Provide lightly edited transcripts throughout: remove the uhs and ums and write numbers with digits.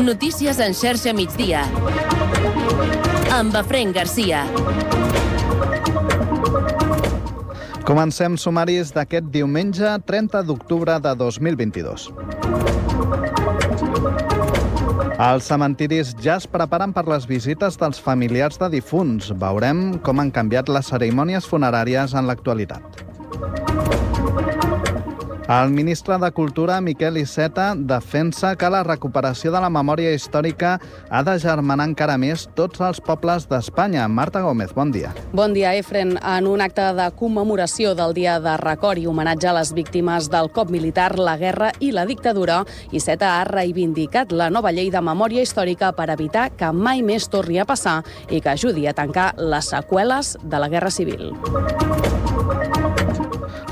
Notícies en xarxa migdia. Amb Efraín Garcia. Comencem sumaris d'aquest diumenge 30 d'octubre de 2022. Els cementiris ja es preparen per les visites dels familiars de difunts. Veurem com han canviat les cerimònies funeràries en l'actualitat. El ministre de Cultura, Miquel Iceta, defensa que la recuperació de la memòria històrica ha de germanar encara més tots els pobles d'Espanya. Marta Gómez, bon dia. Bon dia, Efren. En un acte de commemoració del Dia de Record i homenatge a les víctimes del cop militar, la guerra i la dictadura, Iceta ha reivindicat la nova llei de memòria històrica per evitar que mai més torni a passar i que ajudi a tancar les seqüeles de la Guerra Civil.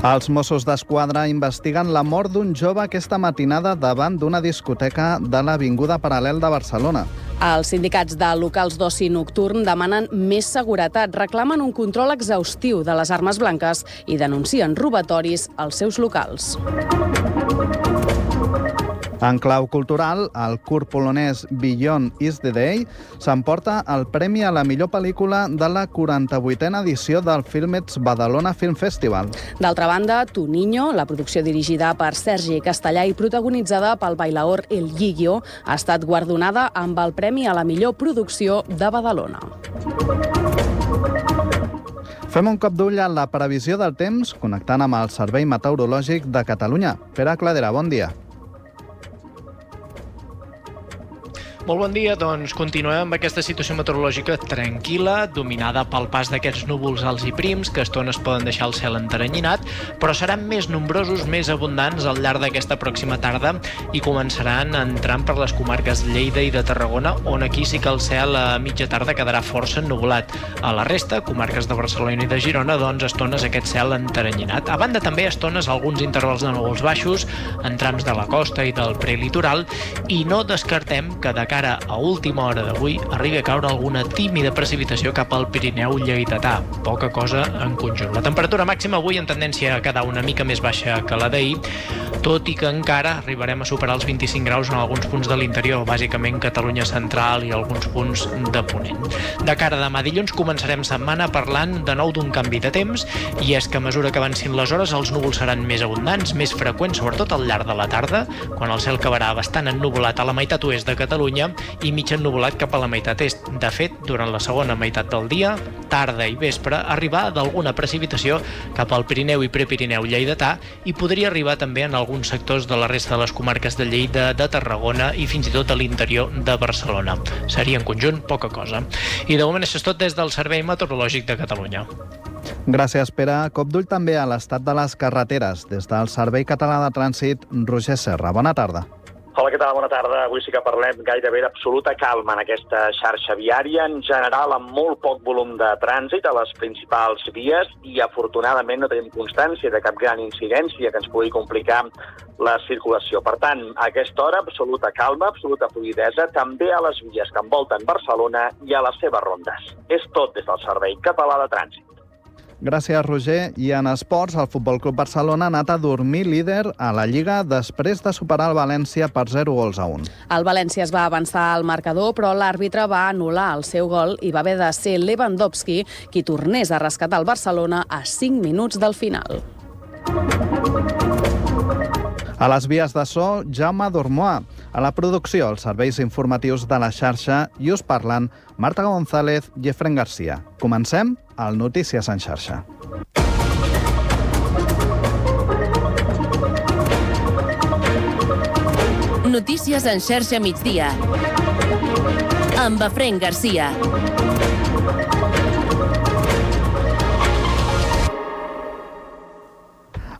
Els Mossos d'Esquadra investiguen la mort d'un jove aquesta matinada davant d'una discoteca de l'Avinguda Paral·lel de Barcelona. Els sindicats de locals d'oci nocturn demanen més seguretat, reclamen un control exhaustiu de les armes blanques i denuncien robatoris als seus locals. En clau cultural, el curt polonès Beyond is the Day s'emporta el premi a la millor pel·lícula de la 48a edició del Filmets Badalona Film Festival. D'altra banda, Tu Niño, la producció dirigida per Sergi Castellà i protagonitzada pel bailaor El Gigio, ha estat guardonada amb el premi a la millor producció de Badalona. Fem un cop d'ull a la previsió del temps, connectant amb el Servei Meteorològic de Catalunya. Pere Cladera, bon dia. Molt bon dia, doncs continuem amb aquesta situació meteorològica tranquil·la, dominada pel pas d'aquests núvols alts i prims, que a estones poden deixar el cel enteranyinat, però seran més nombrosos, més abundants al llarg d'aquesta pròxima tarda i començaran entrant per les comarques de Lleida i de Tarragona, on aquí sí que el cel a mitja tarda quedarà força ennuvolat. A la resta, comarques de Barcelona i de Girona, doncs a estones aquest cel enteranyinat. A banda també a estones alguns intervals de núvols baixos, en trams de la costa i del prelitoral, i no descartem que de cara a última hora d'avui arribi a caure alguna tímida precipitació cap al Pirineu lleidatà. Poca cosa en conjunt. La temperatura màxima avui en tendència a quedar una mica més baixa que la d'ahir, tot i que encara arribarem a superar els 25 graus en alguns punts de l'interior, bàsicament Catalunya central i alguns punts de Ponent. De cara a demà dilluns començarem setmana parlant de nou d'un canvi de temps, i és que a mesura que avancin les hores els núvols seran més abundants, més freqüents, sobretot al llarg de la tarda, quan el cel acabarà bastant ennuvolat a la meitat oest de Catalunya i mig ennuvolat cap a la meitat est. De fet, durant la segona meitat del dia, tarda i vespre, arribar d'alguna precipitació cap al Pirineu i Prepirineu lleidatà i podria arribar també en alguns sectors de la resta de les comarques de Lleida, de Tarragona i fins i tot a l'interior de Barcelona. Seria en conjunt poca cosa. I de moment això és tot des del Servei Meteorològic de Catalunya. Gràcies, Pere. Cop d'ull també a l'estat de les carreteres. Des del Servei Català de Trànsit, Roger Serra. Bona tarda. Hola, què tal? Bona tarda. Avui sí que parlem gairebé d'absoluta calma en aquesta xarxa viària, en general amb molt poc volum de trànsit a les principals vies i afortunadament no tenim constància de cap gran incidència que ens pugui complicar la circulació. Per tant, a aquesta hora, absoluta calma, absoluta fluïdesa, també a les vies que envolten Barcelona i a les seves rondes. És tot des del Servei Català de Trànsit. Gràcies, Roger. I en esports, el Futbol Club Barcelona ha anat a dormir líder a la Lliga després de superar el València per 0-1. El València es va avançar al marcador, però l'àrbitre va anul·lar el seu gol i va haver de ser Lewandowski qui tornés a rescatar el Barcelona a 5 minuts del final. A les vies de so, Jaume Dormoà. A la producció, els serveis informatius de la xarxa i us parlen Marta González i Efraín Garcia. Comencem al Notícies en xarxa. Notícies en xarxa migdia. Amb Efraín Garcia.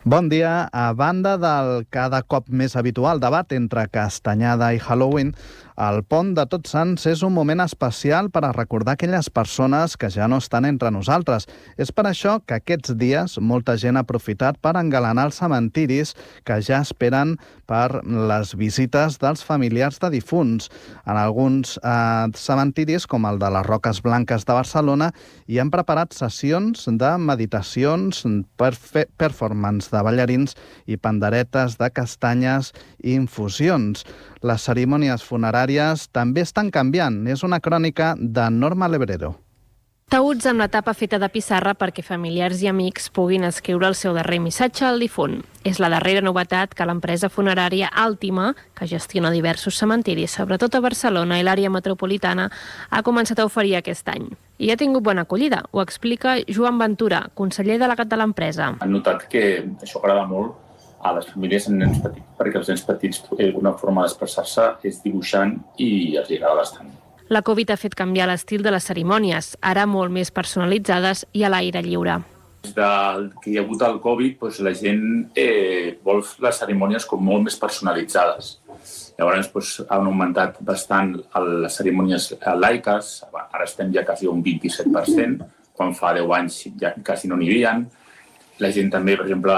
Bon dia. A banda del cada cop més habitual debat entre castanyada i Halloween, el pont de Tots Sants és un moment especial per a recordar aquelles persones que ja no estan entre nosaltres. És per això que aquests dies molta gent ha aprofitat per engalanar els cementiris que ja esperen per les visites dels familiars de difunts. En alguns cementiris, com el de les Roques Blanques de Barcelona, hi han preparat sessions de meditacions, performance de ballarins i panderetes de castanyes i infusions. Les cerimònies funeràries també estan canviant. És una crònica de Norma Lebrero. Taüts amb la tapa feta de pissarra perquè familiars i amics puguin escriure el seu darrer missatge al difunt. És la darrera novetat que l'empresa funerària Àltima, que gestiona diversos cementiris, sobretot a Barcelona i l'àrea metropolitana, ha començat a oferir aquest any. I ha tingut bona acollida. Ho explica Joan Ventura, conseller delegat de l'empresa. Han notat que això agrada molt a les famílies amb nens petits, perquè els nens petits, una forma d'expressar-se és dibuixant i els agrada bastant. La Covid ha fet canviar l'estil de les cerimònies, ara molt més personalitzades i a l'aire lliure. Des que hi ha hagut el Covid, la gent vol les cerimònies com molt més personalitzades. Llavors han augmentat bastant les cerimònies laiques, ara estem ja quasi un 27%, quan fa 10 anys ja quasi no n'hi havia. La gent també, per exemple,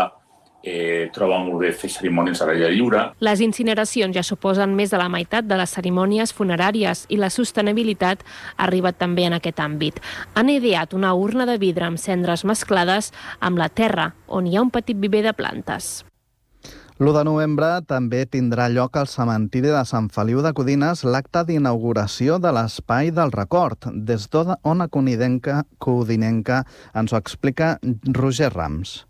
troba molt bé fer cerimònies a l'aire lliure. Les incineracions ja suposen més de la meitat de les cerimònies funeràries i la sostenibilitat ha arribat també en aquest àmbit. Han ideat una urna de vidre amb cendres mesclades amb la terra, on hi ha un petit viver de plantes. L'1 de novembre també tindrà lloc al cementiri de Sant Feliu de Codines l'acte d'inauguració de l'Espai del Record. Des d'Ona Codinenca ens ho explica Roger Rams.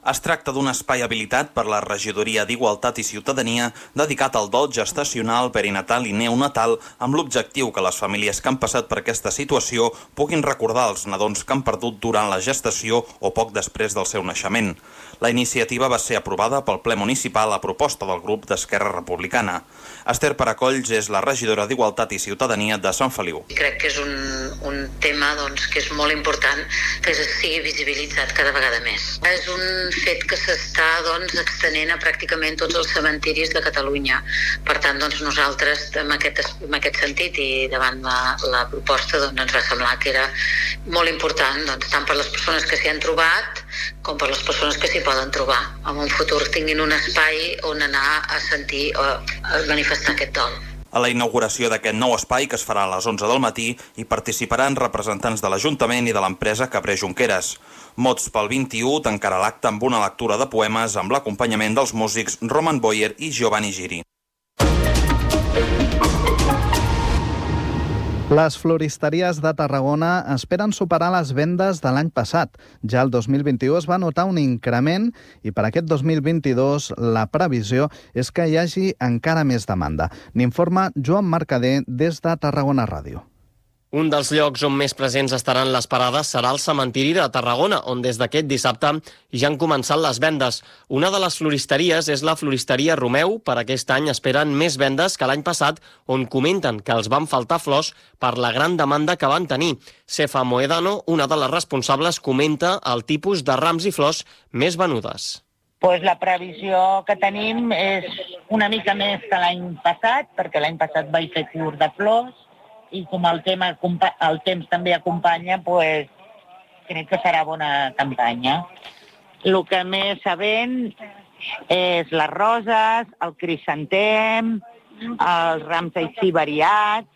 Es tracta d'un espai habilitat per la Regidoria d'Igualtat i Ciutadania dedicat al dol gestacional, perinatal i neonatal amb l'objectiu que les famílies que han passat per aquesta situació puguin recordar els nadons que han perdut durant la gestació o poc després del seu naixement. La iniciativa va ser aprovada pel ple municipal a proposta del grup d'Esquerra Republicana. Esther Paracolls és la regidora d'Igualtat i Ciutadania de Sant Feliu. Crec que és un tema que és molt important que sigui visibilitzat cada vegada més. És un fet que s'està extenent a pràcticament tots els cementiris de Catalunya. Per tant, nosaltres, en aquest sentit i davant la proposta, ens va semblar que era molt important, tant per les persones que s'hi han trobat com per les persones que s'hi poden trobar. En un futur tinguin un espai on anar a sentir o a manifestar aquest dol. A la inauguració d'aquest nou espai, que es farà a les 11 del matí, hi participaran representants de l'Ajuntament i de l'empresa Cabré Junqueras. Mots pel 21 tancarà l'acte amb una lectura de poemes amb l'acompanyament dels músics Roman Boyer i Giovanni Giri. Les floristeries de Tarragona esperen superar les vendes de l'any passat. Ja el 2021 es va notar un increment i per aquest 2022 la previsió és que hi hagi encara més demanda. N'informa Joan Mercader des de Tarragona Ràdio. Un dels llocs on més presents estaran les parades serà el cementiri de Tarragona, on des d'aquest dissabte ja han començat les vendes. Una de les floristeries és la floristeria Romeu. Per aquest any esperen més vendes que l'any passat, on comenten que els van faltar flors per la gran demanda que van tenir. Cefa Moedano, una de les responsables, comenta el tipus de rams i flors més venudes. La previsió que tenim és una mica més que l'any passat, perquè l'any passat vaig fer curt de flors, i com el temps també acompanya, crec que serà bona campanya. El que més se ven és les roses, el crisantem, els rams així variats.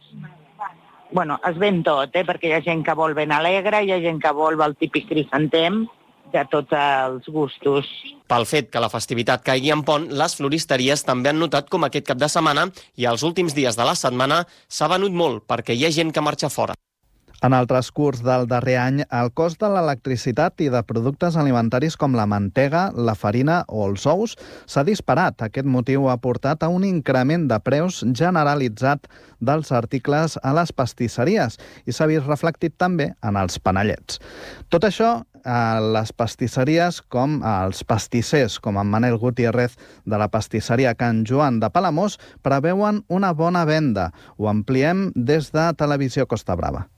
Es ven tot, perquè hi ha gent que vol ben alegre, hi ha gent que vol el típic crisantem, de tots els gustos. Pel fet que la festivitat caigui en pont, les floristeries també han notat com aquest cap de setmana i els últims dies de la setmana s'ha venut molt perquè hi ha gent que marxa fora. En el transcurs del darrer any, el cost de l'electricitat i de productes alimentaris com la mantega, la farina o els ous s'ha disparat. Aquest motiu ha portat a un increment de preus generalitzat dels articles a les pastisseries i s'ha vist reflectit també en els panellets. Tot això a les pastisseries com als pastissers, com en Manel Gutiérrez de la pastisseria Can Joan de Palamós, preveuen una bona venda. Ho ampliem des de Televisió Costa Brava.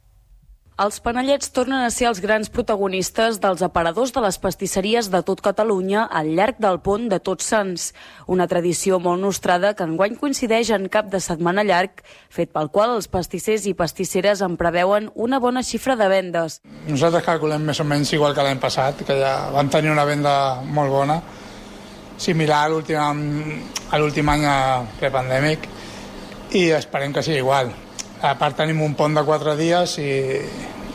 Els panellets tornen a ser els grans protagonistes dels aparadors de les pastisseries de tot Catalunya al llarg del pont de Tots Sants. Una tradició molt nostrada que enguany coincideix en cap de setmana llarg, fet pel qual els pastissers i pastisseres en preveuen una bona xifra de vendes. Nosaltres calculem més o menys igual que l'any passat, que ja vam tenir una venda molt bona, similar a l'últim any prepandèmic, i esperem que sigui igual. A part tenim un pont de 4 dies i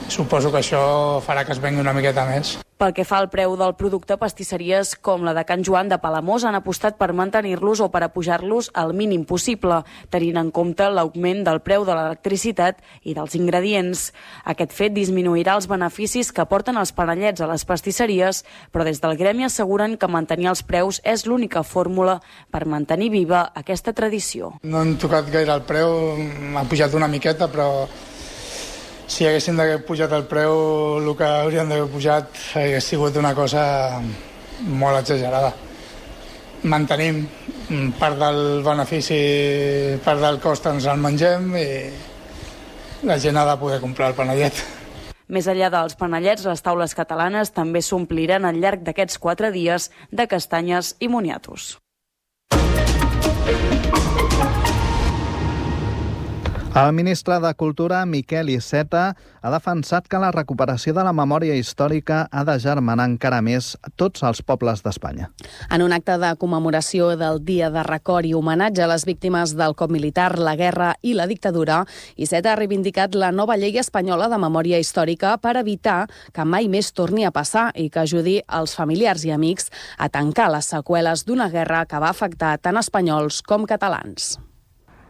suposo que això farà que es vengui una miqueta més. Pel que fa al preu del producte, pastisseries com la de Can Joan de Palamós han apostat per mantenir-los o per apujar-los al mínim possible, tenint en compte l'augment del preu de l'electricitat i dels ingredients. Aquest fet disminuirà els beneficis que porten els panellets a les pastisseries, però des del gremi asseguren que mantenir els preus és l'única fórmula per mantenir viva aquesta tradició. No hem tocat gaire el preu, m'ha pujat una miqueta, però si haguéssim d'haver pujat el preu, el que hauríem d'haver pujat hauria sigut una cosa molt exagerada. Mantenim part del benefici, part del cost ens el mengem i la gent ha de poder comprar el panellet. Més enllà dels panellets, les taules catalanes també s'ompliran al llarg d'aquests 4 dies de castanyes i moniatos. El ministre de Cultura, Miquel Iceta, ha defensat que la recuperació de la memòria històrica ha d'agermanar encara més tots els pobles d'Espanya. En un acte de commemoració del Dia de Record i homenatge a les víctimes del cop militar, la guerra i la dictadura, Iceta ha reivindicat la nova llei espanyola de memòria històrica per evitar que mai més torni a passar i que ajudi els familiars i amics a tancar les seqüeles d'una guerra que va afectar tant espanyols com catalans.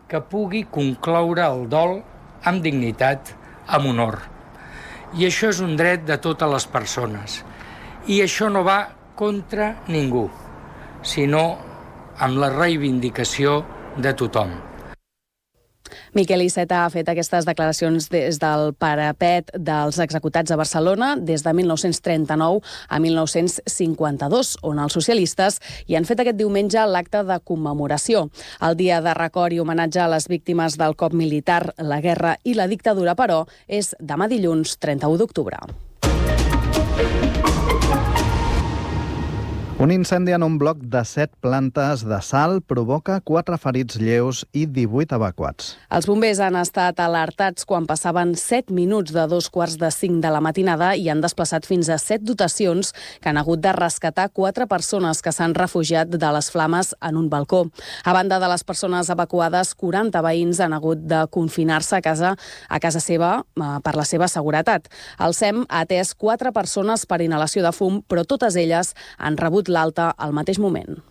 Que pugui concloure el dol amb dignitat, amb honor. I això és un dret de totes les persones. I això no va contra ningú, sinó amb la reivindicació de tothom. Miquel Iceta ha fet aquestes declaracions des del parapet dels executats a Barcelona des de 1939 a 1952, on els socialistes hi han fet aquest diumenge l'acte de commemoració. El dia de record i homenatge a les víctimes del cop militar, la guerra i la dictadura, però, és demà dilluns 31 d'octubre. Un incendi en un bloc de 7 plantes de Salt provoca 4 ferits lleus i 18 evacuats. Els bombers han estat alertats quan passaven 7 minuts de 2:45 de la matinada i han desplaçat fins a 7 dotacions que han hagut de rescatar 4 persones que s'han refugiat de les flames en un balcó. A banda de les persones evacuades, 40 veïns han hagut de confinar-se a casa seva per la seva seguretat. El SEM ha atès 4 persones per inhalació de fum, però totes elles han rebut l'alta al mateix moment.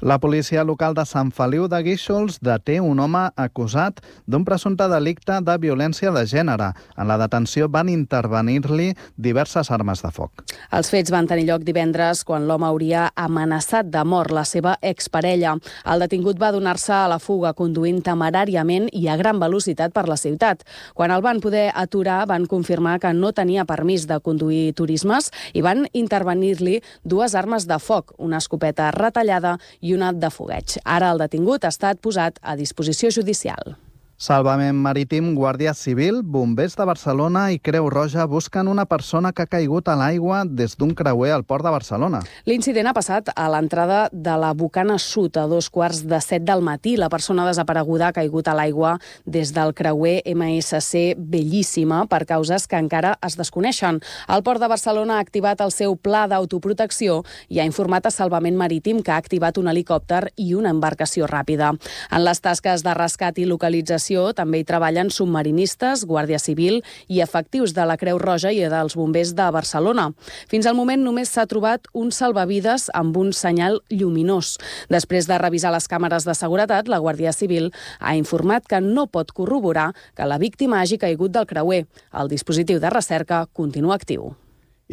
La policia local de Sant Feliu de Guíxols deté un home acusat d'un presumpte delicte de violència de gènere. En la detenció van intervenir-li diverses armes de foc. Els fets van tenir lloc divendres quan l'home hauria amenaçat de mort la seva exparella. El detingut va donar-se a la fuga conduint temeràriament i a gran velocitat per la ciutat. Quan el van poder aturar, van confirmar que no tenia permís de conduir turismes i van intervenir-li 2 armes de foc, una escopeta retallada i una de fogueig. Ara el detingut ha estat posat a disposició judicial. Salvament marítim, Guàrdia Civil, bombers de Barcelona i Creu Roja busquen una persona que ha caigut a l'aigua des d'un creuer al port de Barcelona. L'incident ha passat a l'entrada de la Bocana Sud a 2:15 del matí. La persona desapareguda ha caigut a l'aigua des del creuer MSC Bellíssima per causes que encara es desconeixen. El port de Barcelona ha activat el seu pla d'autoprotecció i ha informat a Salvament Marítim que ha activat un helicòpter i una embarcació ràpida. En les tasques de rescat i localització també hi treballen submarinistes, Guàrdia Civil i efectius de la Creu Roja i dels bombers de Barcelona. Fins al moment només s'ha trobat un salvavides amb un senyal lluminós. Després de revisar les càmeres de seguretat, la Guàrdia Civil ha informat que no pot corroborar que la víctima hagi caigut del creuer. El dispositiu de recerca continua actiu.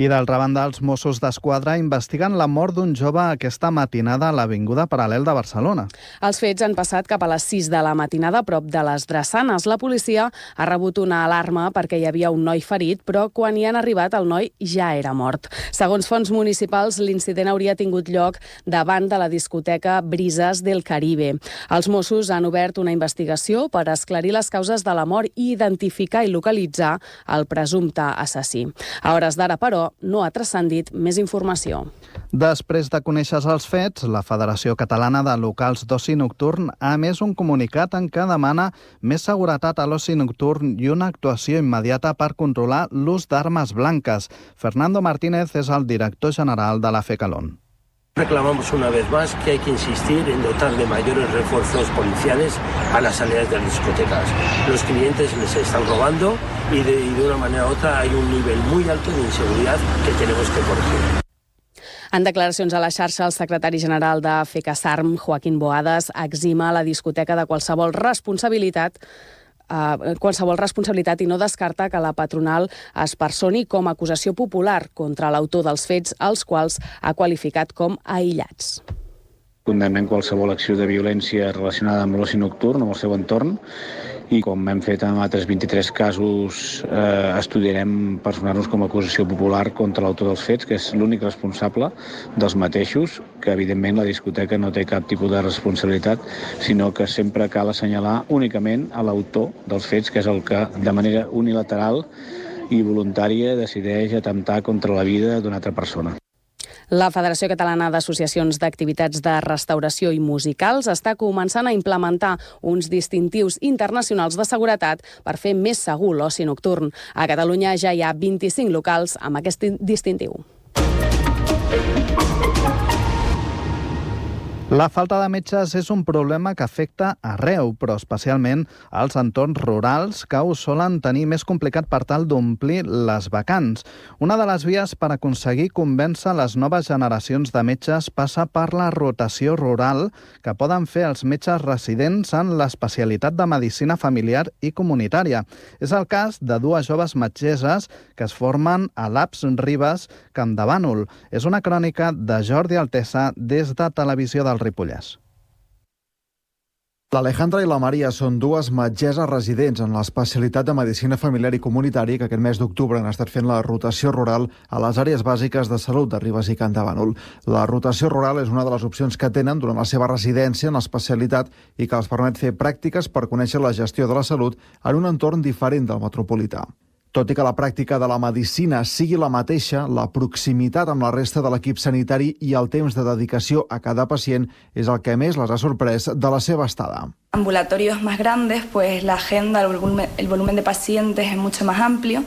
I d'altra banda, els Mossos d'Esquadra investiguen la mort d'un jove aquesta matinada a l'Avinguda Paral·lel de Barcelona. Els fets han passat cap a les 6 de la matinada a prop de les Drassanes. La policia ha rebut una alarma perquè hi havia un noi ferit, però quan hi han arribat el noi ja era mort. Segons fonts municipals, l'incident hauria tingut lloc davant de la discoteca Brises del Caribe. Els Mossos han obert una investigació per esclarir les causes de la mort i identificar i localitzar el presumpte assassí. A hores d'ara, però, no ha transcendit més informació. Després de conèixer els fets, la Federació Catalana de Locals d'Oci Nocturn ha emès un comunicat en què demana més seguretat a l'oci nocturn i una actuació immediata per controlar l'ús d'armes blanques. Fernando Martínez és el director general de la FECALON. Reclamamos una vez más que hay que insistir en dotar de mayores refuerzos policiales a las salidas de las discotecas. Los clientes les están robando y de una manera u otra hay un nivel muy alto de inseguridad que tenemos que corregir. En declaracions a la xarxa, el secretari general de FECASARM, Joaquín Boades, exima la discoteca de qualsevol responsabilitat i no descarta que la patronal es personi com a acusació popular contra l'autor dels fets, els quals ha qualificat com aïllats. Condemnem qualsevol acció de violència relacionada amb l'oci nocturn, amb el seu entorn, i com hem fet en altres 23 casos, estudiarem personar-nos com a acusació popular contra l'autor dels fets, que és l'únic responsable dels mateixos, que evidentment la discoteca no té cap tipus de responsabilitat, sinó que sempre cal assenyalar únicament a l'autor dels fets, que és el que de manera unilateral i voluntària decideix atemptar contra la vida d'una altra persona. La Federació Catalana d'Associacions d'Activitats de Restauració i Musicals està començant a implementar uns distintius internacionals de seguretat per fer més segur l'oci nocturn. A Catalunya ja hi ha 25 locals amb aquest distintiu. La falta de metges és un problema que afecta arreu, però especialment als entorns rurals, que ho solen tenir més complicat per tal d'omplir les vacants. Una de les vies per aconseguir convèncer les noves generacions de metges passa per la rotació rural que poden fer els metges residents en l'especialitat de medicina familiar i comunitària. És el cas de dues joves metgesses que es formen a l'APS Ribes, Camp de Bànol. És una crònica de Jordi Altesa des de Televisió del Ripollès. L'Alejandra i la Maria són dues metgesses residents en l'especialitat de medicina familiar i comunitària que aquest mes d'octubre han estat fent la rotació rural a les àrees bàsiques de salut de Ribes i Camp de Bànol. La rotació rural és una de les opcions que tenen durant la seva residència en l'especialitat i que els permet fer pràctiques per conèixer la gestió de la salut en un entorn diferent del metropolità. Tot i que la pràctica de la medicina sigui la mateixa, la proximitat amb la resta de l'equip sanitari i el temps de dedicació a cada pacient és el que més les ha sorprès de la seva estada. Ambulatorios más grandes, pues la agenda, el volumen de pacientes es mucho más amplio,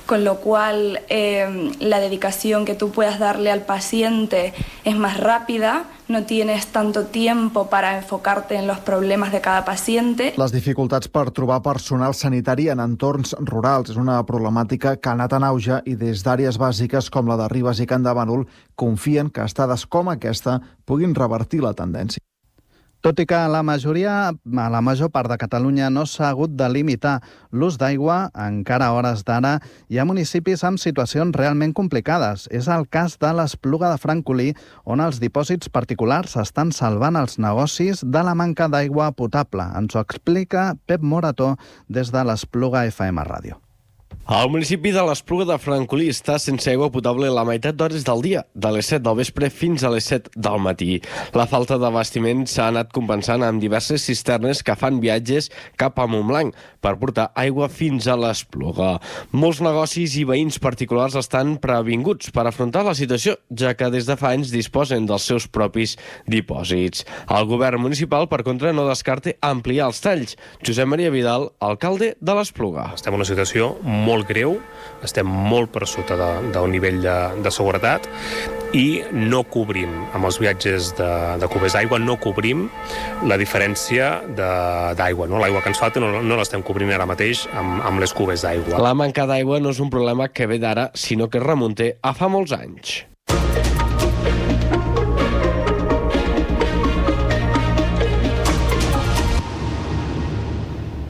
con lo cual la dedicación que tú puedas darle al paciente es más rápida, no tienes tanto tiempo para enfocarte en los problemas de cada paciente. Les dificultats per trobar personal sanitari en entorns rurals és una problemàtica que ha anat en auge i des d'àrees bàsiques com la de Ribes i Camp de Bànol confien que estades com aquesta puguin revertir la tendència. Tot i que a la major part de Catalunya no s'ha hagut de limitar l'ús d'aigua, encara a hores d'ara hi ha municipis amb situacions realment complicades. És el cas de l'Espluga de Francolí, on els dipòsits particulars estan salvant els negocis de la manca d'aigua potable. Ens ho explica Pep Morató des de l'Espluga FM Ràdio. El municipi de l'Espluga de Francolí està sense aigua potable la meitat d'hores del dia, de les 7 del vespre fins a les 7 del matí. La falta d'abastiment s'ha anat compensant amb diverses cisternes que fan viatges cap a Montblanc per portar aigua fins a l'Espluga. Molts negocis i veïns particulars estan previnguts per afrontar la situació, ja que des de fa anys disposen dels seus propis dipòsits. El govern municipal, per contra, no descarta ampliar els talls. Josep Maria Vidal, alcalde de l'Espluga. Estem en una situació molt greu, estem molt per sota del nivell de seguretat i no cobrim, amb els viatges de cubers d'aigua, no cobrim la diferència d'aigua. No? L'aigua que ens falta no l'estem cobrint ara mateix amb les cubers d'aigua. La manca d'aigua no és un problema que ve d'ara, sinó que es remunta a fa molts anys.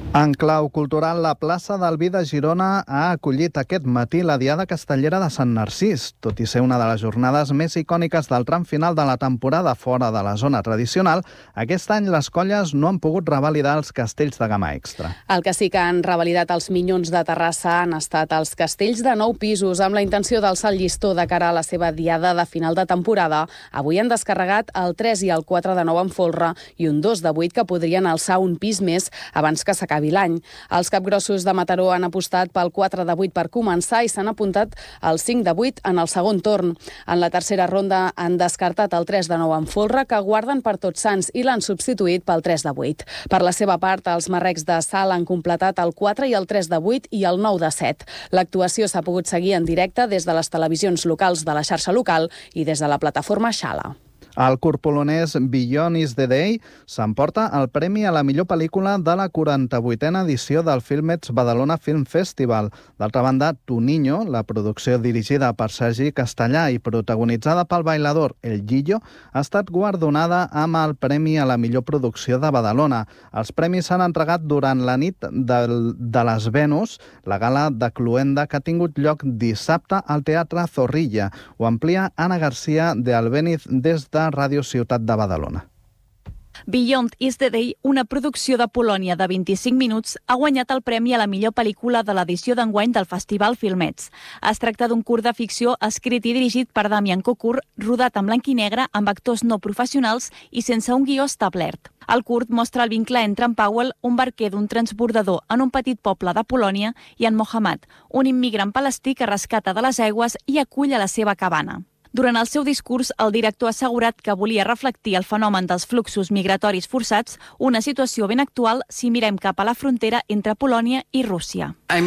En clau cultural, la plaça del Vi de Girona ha acollit aquest matí la Diada Castellera de Sant Narcís. Tot i ser una de les jornades més icòniques del tram final de la temporada fora de la zona tradicional, aquest any les colles no han pogut revalidar els castells de gamma extra. El que sí que han revalidat els Minyons de Terrassa han estat els castells de 9 pisos, amb la intenció d'alçar el llistó de cara a la seva diada de final de temporada. Avui han descarregat el 3 i el 4 de 9 en folre i un 2 de 8 que podrien alçar un pis més abans que s'acabi l'any. Els capgrossos de Mataró han apostat pel 4 de 8 per començar i s'han apuntat al 5 de 8 en el segon torn. En la tercera ronda han descartat el 3 de 9 en folre, que guarden per Tots Sants, i l'han substituït pel 3 de 8. Per la seva part, els marrecs de Sal han completat el 4 i el 3 de 8 i el 9 de 7. L'actuació s'ha pogut seguir en directe des de les televisions locals de la xarxa local i des de la plataforma Xala. El curt polonès Beyond is the Day s'emporta el premi a la millor pel·lícula de la 48a edició del Filmets Badalona Film Festival. D'altra banda, Tu Niño, la producció dirigida per Sergi Castellà i protagonitzada pel bailador El Guillo, ha estat guardonada amb el premi a la millor producció de Badalona. Els premis s'han entregat durant la nit de les Venus, la gala de Cluenda que ha tingut lloc dissabte al Teatre Zorrilla. Ho amplia Anna García de Albéniz des de Ràdio Ciutat de Badalona. Beyond is the Day, una producció de Polònia de 25 minuts, ha guanyat el premi a la millor pel·lícula de l'edició d'enguany del Festival Filmets. Es tracta d'un curt de ficció escrit i dirigit per Damian Kokur, rodat en blanc i negre amb actors no professionals i sense un guió establert. El curt mostra el vincle entre en Powell, un barquer d'un transbordador en un petit poble de Polònia, i en Mohammad, un immigrant palestí que rescata de les aigües i acull a la seva cabana. Durant el seu discurs, el director ha assegurat que volia reflectir el fenomen dels fluxos migratoris forçats, una situació ben actual si mirem cap a la frontera entre Polònia i Rússia. He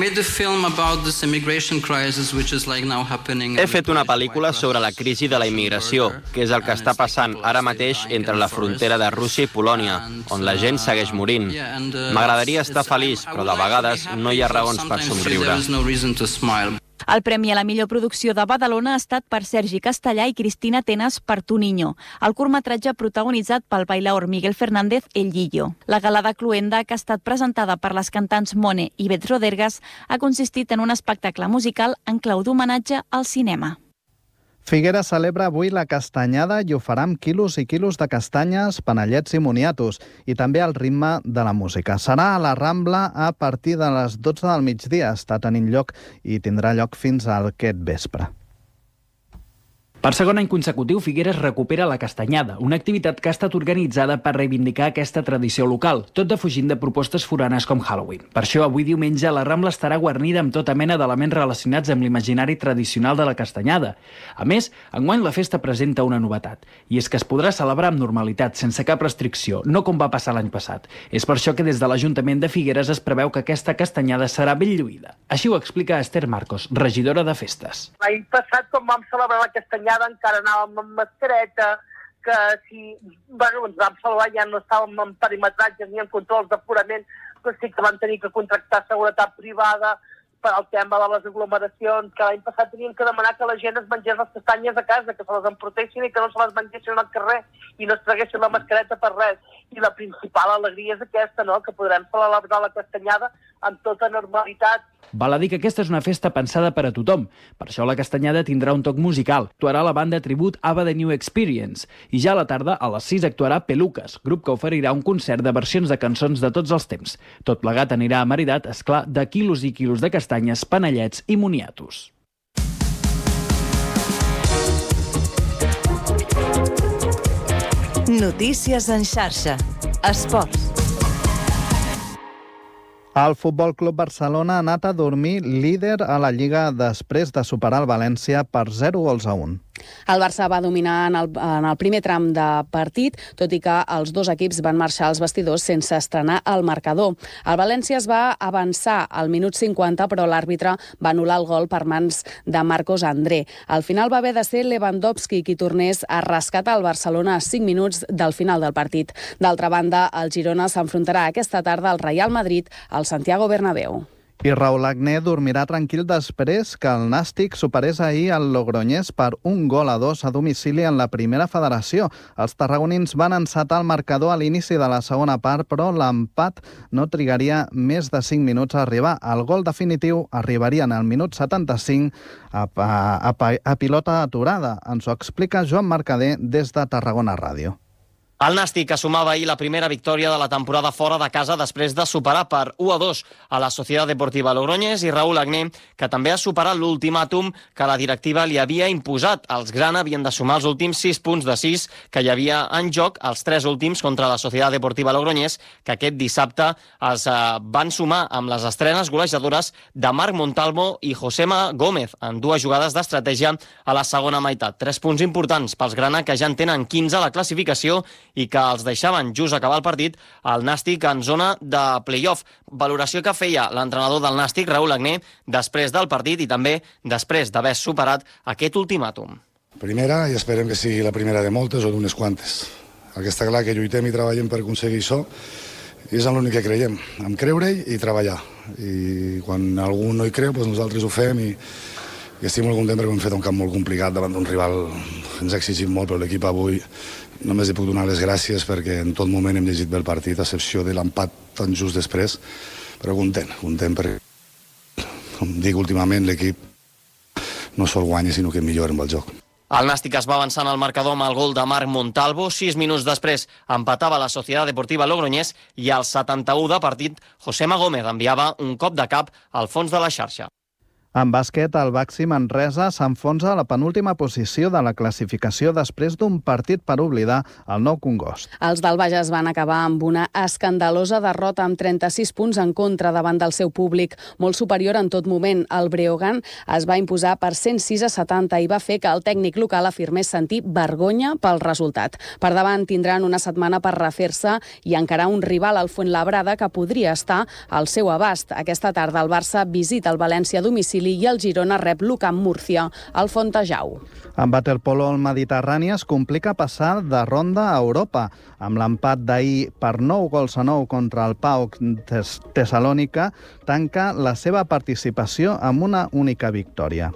fet una pel·lícula sobre la crisi de la immigració, que és el que està passant ara mateix entre la frontera de Rússia i Polònia, on la gent segueix morint. M'agradaria estar feliç, però de vegades no hi ha raons per somriure. El premi a la millor producció de Badalona ha estat per Sergi Castellà i Cristina Tenas per Tu Niño, el curtmetratge protagonitzat pel bailaor Miguel Fernández El Guillo. La gala de Cluenda, que ha estat presentada per les cantants Mone i Bet Rodergas, ha consistit en un espectacle musical en clau d'homenatge al cinema. Figueres celebra avui la castanyada i ho farà amb quilos i quilos de castanyes, panellets i moniatos, i també al ritme de la música. Serà a la Rambla a partir de les 12 del migdia. Està tenint lloc i tindrà lloc fins a aquest vespre. Per segon any consecutiu, Figueres recupera la castanyada, una activitat que ha estat organitzada per reivindicar aquesta tradició local, tot defugint de propostes foranes com Halloween. Per això, avui diumenge, la Rambla estarà guarnida amb tota mena d'elements relacionats amb l'imaginari tradicional de la castanyada. A més, enguany la festa presenta una novetat, i és que es podrà celebrar amb normalitat, sense cap restricció, no com va passar l'any passat. És per això que des de l'Ajuntament de Figueres es preveu que aquesta castanyada serà ben lluïda. Així ho explica Esther Marcos, regidora de Festes. L'any passat, quan vam celebrar la castanyada, encara anàvem amb mascareta, que si ens vam salvar ja no estàvem en perimetratges ni en controls d'aforament, però sí que vam tenir que contractar seguretat privada per al tema de les aglomeracions, que l'any passat teníem que demanar que la gent es mengés les castanyes a casa, que se les emprotessin i que no se les mengessin al carrer i no es traguessin la mascareta per res. I la principal alegria és aquesta, no?, que podrem celebrar la castanyada amb tota normalitat. Val a dir que aquesta és una festa pensada per a tothom. Per això la castanyada tindrà un toc musical. Actuarà la banda tribut Ava The New Experience. I ja a la tarda, a les 6, actuarà Peluques, grup que oferirà un concert de versions de cançons de tots els temps. Tot plegat anirà amaridat, esclar, de quilos i quilos de castanyes, panellets i moniatos. Notícies en xarxa. Esports. El Futbol Club Barcelona ha anat a dormir líder a la Lliga després de superar el València per 0-1. El Barça va dominar en el primer tram de partit, tot i que els dos equips van marxar als vestidors sense estrenar el marcador. El València es va avançar al minut 50, però l'àrbitre va anul·lar el gol per mans de Marcos André. Al final va haver de ser Lewandowski qui tornés a rescatar el Barcelona a 5 minuts del final del partit. D'altra banda, el Girona s'enfrontarà aquesta tarda al Real Madrid al Santiago Bernabéu. I Raúl Agné dormirà tranquil després que el Nàstic superés ahir el Logroñés per 1-2 a domicili en la primera federació. Els tarragonins van encetar el marcador a l'inici de la segona part, però l'empat no trigaria més de 5 minuts a arribar. El gol definitiu arribaria en el minut 75 a pilota aturada. Ens ho explica Joan Mercader des de Tarragona Ràdio. El Nàstic assumava ahir la primera victòria de la temporada fora de casa després de superar per 1-2 a la Societat Deportiva Logroñés i Raúl Agné, que també ha superat l'ultimàtum que la directiva li havia imposat. Els grana havien de sumar els últims 6 punts de 6 que hi havia en joc, els 3 últims contra la Societat Deportiva Logroñés, que aquest dissabte es van sumar amb les estrenes golejadores de Marc Montalvo i Josema Gómez en 2 jugades d'estratègia a la segona meitat. 3 punts importants pels grana, que ja en tenen 15 a la classificació i que els deixaven just acabar el partit al Nàstic en zona de play-off. Valoració que feia l'entrenador del Nàstic, Raúl Agné, després del partit i també després d'haver superat aquest ultimàtum. Primera, i esperem que sigui la primera de moltes o d'unes quantes. El que està clar que lluitem i treballem per aconseguir això i és en l'únic que creiem, en creure-hi i treballar. I quan algú no hi creu, doncs nosaltres ho fem i estic molt content perquè hem fet un camp molt complicat davant d'un rival que ens ha exigit molt, però l'equip avui només li puc donar les gràcies perquè en tot moment hem llegit bé el partit, a excepció de l'empat tan just després, però content perquè, com dic últimament, l'equip no sol guanya, sinó que millora amb el joc. El Nàstic es va avançant al marcador amb el gol de Marc Montalvo. 6 minuts després empatava la Societat Deportiva Logroñés i al 71 de partit, Josema Gómez enviava un cop de cap al fons de la xarxa. En bàsquet, el Baxi Manresa s'enfonsa a la penúltima posició de la classificació després d'un partit per oblidar el Nou Congost. Els del Bages van acabar amb una escandalosa derrota amb 36 punts en contra davant del seu públic, molt superior en tot moment. El Breogán es va imposar per 106-70 i va fer que el tècnic local afirmés sentir vergonya pel resultat. Per davant tindran una setmana per refer-se i encarar un rival al Fuenlabrada que podria estar al seu abast. Aquesta tarda el Barça visita el València a domicili i el Girona rep l'Ucamp Múrcia, al Fontejau. En waterpolo el Mediterrani es complica passar de ronda a Europa. Amb l'empat d'ahir per 9-9 contra el PAOK Tessalònica, tanca la seva participació amb una única victòria.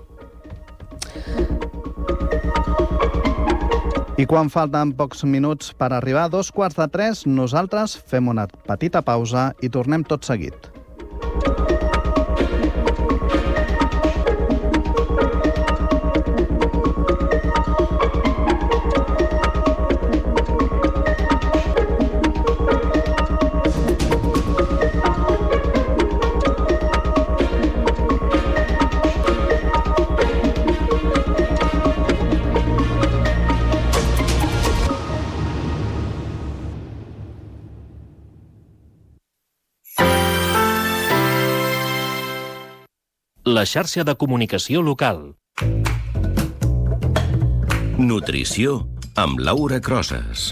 I quan falten pocs minuts per arribar a 2:45, nosaltres fem una petita pausa i tornem tot seguit. La xarxa de comunicació local. Nutrició amb Laura Crosas.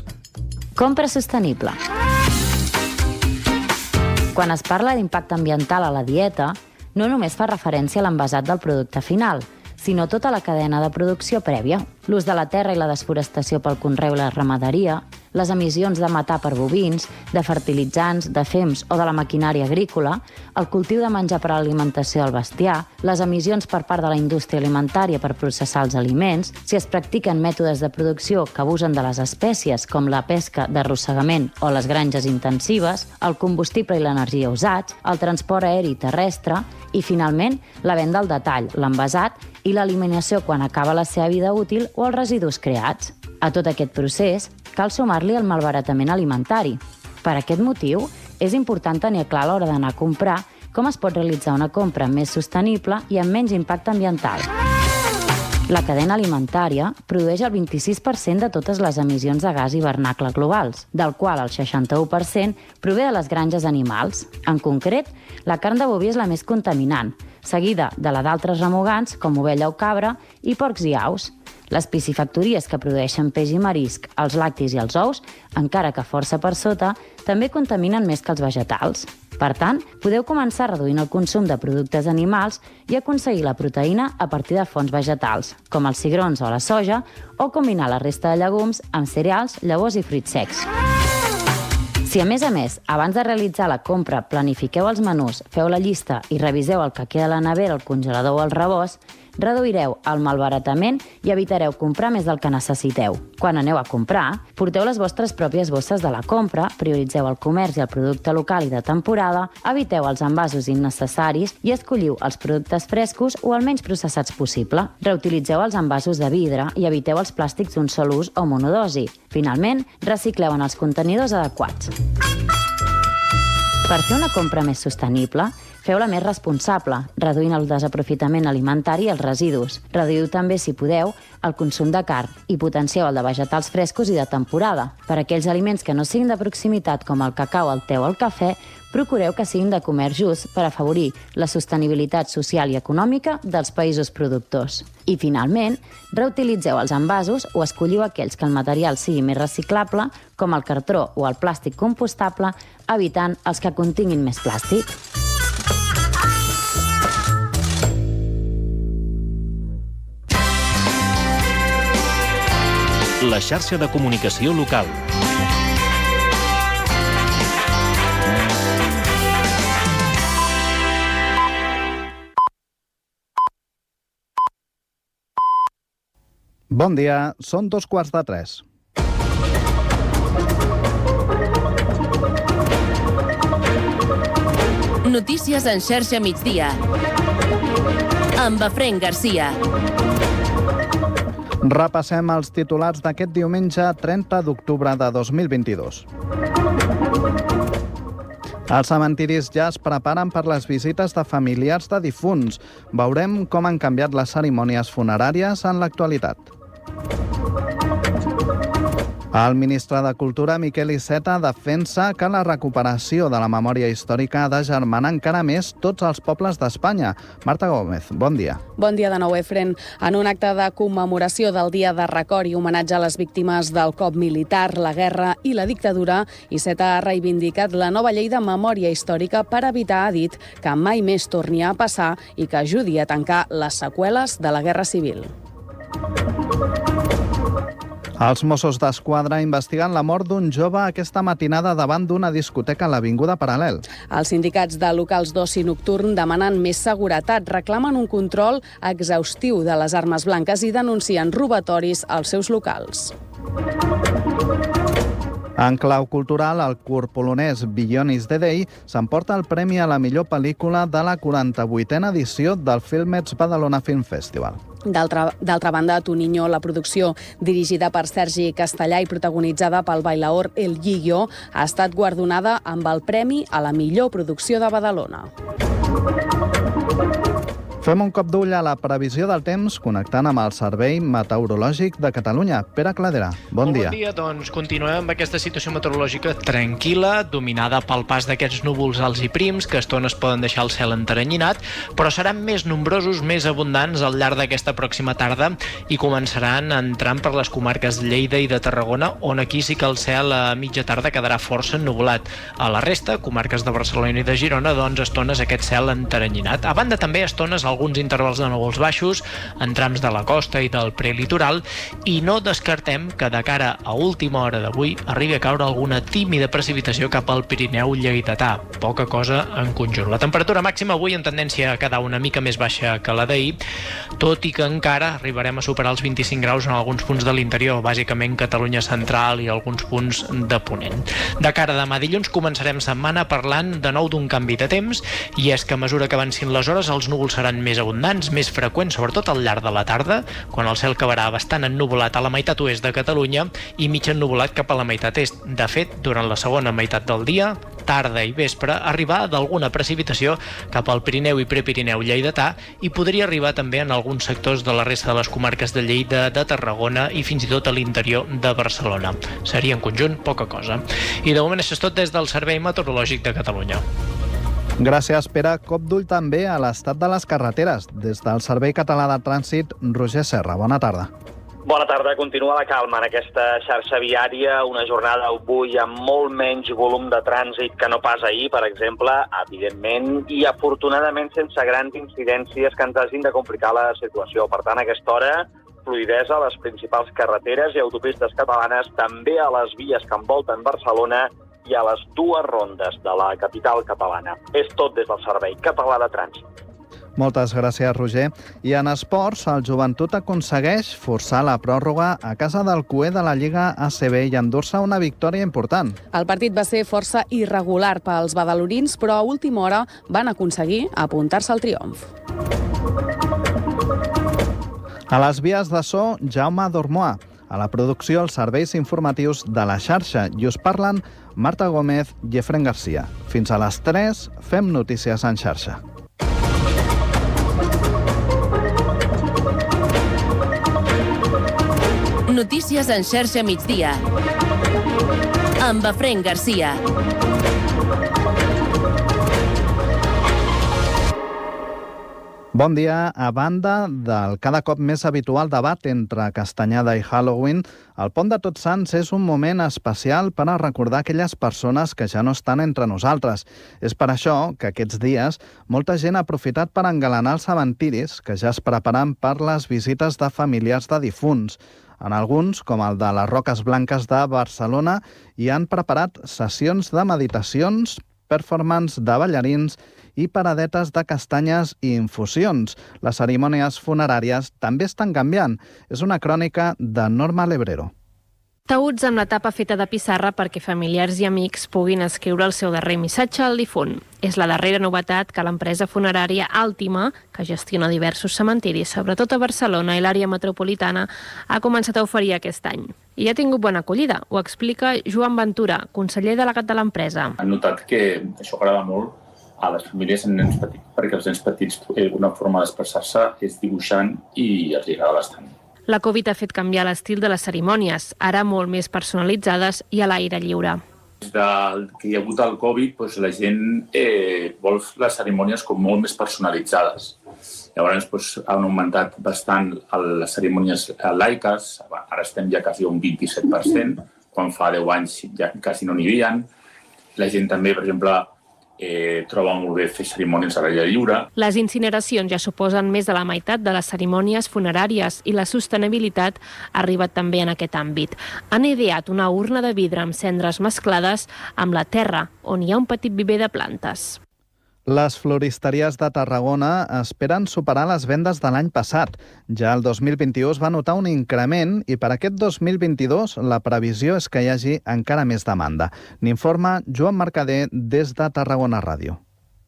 Compra sostenible. Quan es parla d'impacte ambiental a la dieta, no només fa referència a l'envasat del producte final, sinó tota la cadena de producció prèvia. L'ús de la terra i la desforestació pel conreu i la ramaderia, les emissions de metà per bovins, de fertilitzants, de fems o de la maquinària agrícola, el cultiu de menjar per a l'alimentació del bestiar, les emissions per part de la indústria alimentària per processar els aliments, si es practiquen mètodes de producció que abusen de les espècies, com la pesca d'arrossegament o les granges intensives, el combustible i l'energia usats, el transport aeri i terrestre i, finalment, la venda al detall, l'envasat i l'eliminació quan acaba la seva vida útil o els residus creats. A tot aquest procés cal sumar-li el malbaratament alimentari. Per aquest motiu, és important tenir clar a l'hora d'anar a comprar com es pot realitzar una compra més sostenible i amb menys impacte ambiental. La cadena alimentària produeix el 26% de totes les emissions de gas hivernacle globals, del qual el 61% prové de les granges animals. En concret, la carn de boví és la més contaminant, seguida de la d'altres remugants, com ovella o cabra, i porcs i aus. Les piscifactories que produeixen peix i marisc, els lactis i els ous, encara que força per sota, també contaminen més que els vegetals. Per tant, podeu començar reduint el consum de productes animals i aconseguir la proteïna a partir de fonts vegetals, com els cigrons o la soja, o combinar la resta de llegums amb cereals, llavors i fruits secs. Si, a més, abans de realitzar la compra planifiqueu els menús, feu la llista i reviseu el que queda a la nevera, el congelador o el rebost, reduireu el malbaratament i evitareu comprar més del que necessiteu. Quan aneu a comprar, porteu les vostres pròpies bosses de la compra, prioritzeu el comerç i el producte local i de temporada, eviteu els envasos innecessaris i escolliu els productes frescos o el menys processats possible. Reutilitzeu els envasos de vidre i eviteu els plàstics d'un sol ús o monodosi. Finalment, recicleu en els contenidors adequats. Per fer una compra més sostenible, feu-la més responsable, reduint el desaprofitament alimentari i els residus. Reduïu també, si podeu, el consum de carn i potencieu el de vegetals frescos i de temporada. Per a aquells aliments que no siguin de proximitat, com el cacau, el te o el cafè, procureu que siguin de comerç just per afavorir la sostenibilitat social i econòmica dels països productors. I, finalment, reutilitzeu els envasos o escolliu aquells que el material sigui més reciclable, com el cartró o el plàstic compostable, evitant els que continguin més plàstic. La xarxa de comunicació local. Bon dia, són 2:15. Notícies en xarxa migdia. Amb Efraín Garcia. Repassem els titulars d'aquest diumenge 30 d'octubre de 2022. Els cementiris ja es preparen per les visites de familiars de difunts. Veurem com han canviat les cerimònies funeràries en l'actualitat. El ministre de Cultura, Miquel Iceta, defensa que la recuperació de la memòria històrica ha de germanar encara més tots els pobles d'Espanya. Marta Gómez, bon dia. Bon dia de nou, Efren. En un acte de commemoració del Dia de Record i homenatge a les víctimes del cop militar, la guerra i la dictadura, Iceta ha reivindicat la nova llei de memòria històrica per evitar, ha dit, que mai més torni a passar i que ajudi a tancar les seqüeles de la Guerra Civil. Els Mossos d'Esquadra investiguen la mort d'un jove aquesta matinada davant d'una discoteca a l'Avinguda Paral·lel. Els sindicats de locals d'oci nocturn demanen més seguretat, reclamen un control exhaustiu de les armes blanques i denuncien robatoris als seus locals. En clau cultural, el curt polonès Beyond is the Day s'emporta el premi a la millor pel·lícula de la 48a edició del Filmets Badalona Film Festival. D'altra banda, Toniño, la producció dirigida per Sergi Castellà i protagonitzada pel bailaor El Guillo, ha estat guardonada amb el premi a la millor producció de Badalona. Fem un cop d'ull a la previsió del temps connectant amb el Servei Meteorològic de Catalunya. Pere Cladera, bon dia. Bon dia, doncs continuem amb aquesta situació meteorològica tranquil·la, dominada pel pas d'aquests núvols alts i prims, que a estones poden deixar el cel enteranyinat, però seran més nombrosos, més abundants al llarg d'aquesta pròxima tarda i començaran entrant per les comarques de Lleida i de Tarragona, on aquí sí que el cel a mitja tarda quedarà força ennuvolat. A la resta, comarques de Barcelona i de Girona, doncs estones aquest cel enteranyinat. A banda també estones alguns intervals de núvols baixos en trams de la costa i del prelitoral, i no descartem que de cara a última hora d'avui arribi a caure alguna tímida precipitació cap al Pirineu lleidatà. Poca cosa en conjunt. La temperatura màxima avui en tendència a quedar una mica més baixa que la d'ahir, tot i que encara arribarem a superar els 25 graus en alguns punts de l'interior, bàsicament Catalunya central i alguns punts de Ponent. De cara a demà dilluns començarem setmana parlant de nou d'un canvi de temps, i és que a mesura que avancin les hores els núvols seran més abundants, més freqüents, sobretot al llarg de la tarda, quan el cel acabarà bastant ennuvolat a la meitat oest de Catalunya i mig ennuvolat cap a la meitat est. De fet, durant la segona meitat del dia, tarda i vespre, arribar d'alguna precipitació cap al Pirineu i Prepirineu lleidatà, i podria arribar també en alguns sectors de la resta de les comarques de Lleida, de Tarragona i fins i tot a l'interior de Barcelona. Seria en conjunt poca cosa. I de moment això és tot des del Servei Meteorològic de Catalunya. Gràcies, Pere. Cop d'ull també a l'estat de les carreteres. Des del Servei Català de Trànsit, Roger Serra. Bona tarda. Bona tarda. Continua la calma en aquesta xarxa viària. Una jornada avui amb molt menys volum de trànsit que no pas ahir, per exemple, evidentment, i afortunadament sense grans incidències que ens hagin de complicar la situació. Per tant, a aquesta hora, fluïdesa a les principals carreteres i autopistes catalanes, també a les vies que envolten Barcelona i a les dues rondes de la capital catalana. És tot des del Servei Català de Trànsit. Moltes gràcies, Roger. I en esports, el Joventut aconsegueix forçar la pròrroga a casa del cué de la Lliga ACB i endur-se una victòria important. El partit va ser força irregular pels badalonins, però a última hora van aconseguir apuntar-se al triomf. A les vies de so, Jaume Dormoà. A la producció, els serveis informatius de la xarxa. I us parlen Marta Gómez i Efraín Garcia. Fins a les 3 fem notícies en xarxa. Notícies en xarxa migdia. Amb Efraín Garcia. Bon dia. A banda del cada cop més habitual debat entre Castanyada i Halloween, el Pont de Tots Sants és un moment especial per a recordar aquelles persones que ja no estan entre nosaltres. És per això que aquests dies molta gent ha aprofitat per engalanar els cementiris que ja es preparen per les visites de familiars de difunts. En alguns, com el de les Roques Blanques de Barcelona, hi han preparat sessions de meditacions, performance de ballarins i paradetes de castanyes i infusions. Les cerimònies funeràries també estan canviant. És una crònica de Norma Lebrero. Taüts amb la tapa feta de pissarra perquè familiars i amics puguin escriure el seu darrer missatge al difunt. És la darrera novetat que l'empresa funerària Àltima, que gestiona diversos cementiris, sobretot a Barcelona i l'àrea metropolitana, ha començat a oferir aquest any. I ha tingut bona acollida. Ho explica Joan Ventura, conseller delegat de l'empresa. Han notat que això agrada molt a les famílies amb nens petits, perquè els nens petits una forma d'expressar-se és dibuixant i els agrada bastant. La Covid ha fet canviar l'estil de les cerimònies, ara molt més personalitzades i a l'aire lliure. Des que hi ha hagut el Covid, la gent vol les cerimònies com molt més personalitzades. Llavors han augmentat bastant les cerimònies laiques, ara estem ja quasi a un 27%, quan fa 10 anys ja quasi no n'hi havia. La gent també, per exemple, troba molt bé fer cerimònies a l'aire lliure. Les incineracions ja suposen més de la meitat de les cerimònies funeràries i la sostenibilitat ha arribat també en aquest àmbit. Han ideat una urna de vidre amb cendres mesclades amb la terra, on hi ha un petit viver de plantes. Les floristeries de Tarragona esperen superar les vendes de l'any passat. Ja el 2021 es va notar un increment i per aquest 2022 la previsió és que hi hagi encara més demanda. N'informa Joan Mercader des de Tarragona Ràdio.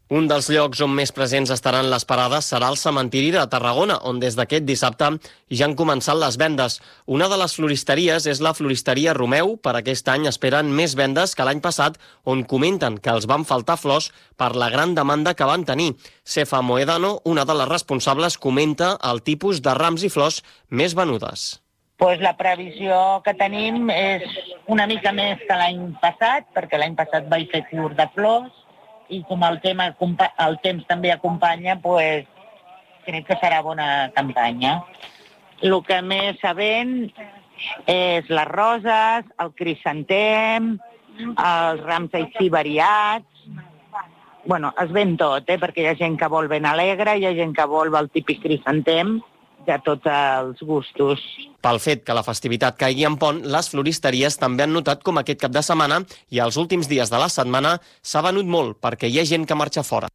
Un dels llocs on més presents estaran les parades serà el cementiri de Tarragona, on des d'aquest dissabte ja han començat les vendes. Una de les floristeries és la floristeria Romeu. Per aquest any esperen més vendes que l'any passat, on comenten que els van faltar flors per la gran demanda que van tenir. Cefa Moedano, una de les responsables, comenta el tipus de rams i flors més venudes. La previsió que tenim és una mica més que l'any passat, perquè l'any passat vaig fer curt de flors, i com el temps també acompanya, crec que serà bona campanya. El que més se ven és les roses, el crisantem, els rams així variats. Es ven tot, perquè hi ha gent que vol ben alegre, hi ha gent que vol el típic crisantem, de tots els gustos. Pel fet que la festivitat caigui en pont, les floristeries també han notat com aquest cap de setmana i els últims dies de la setmana s'ha venut molt perquè hi ha gent que marxa fora.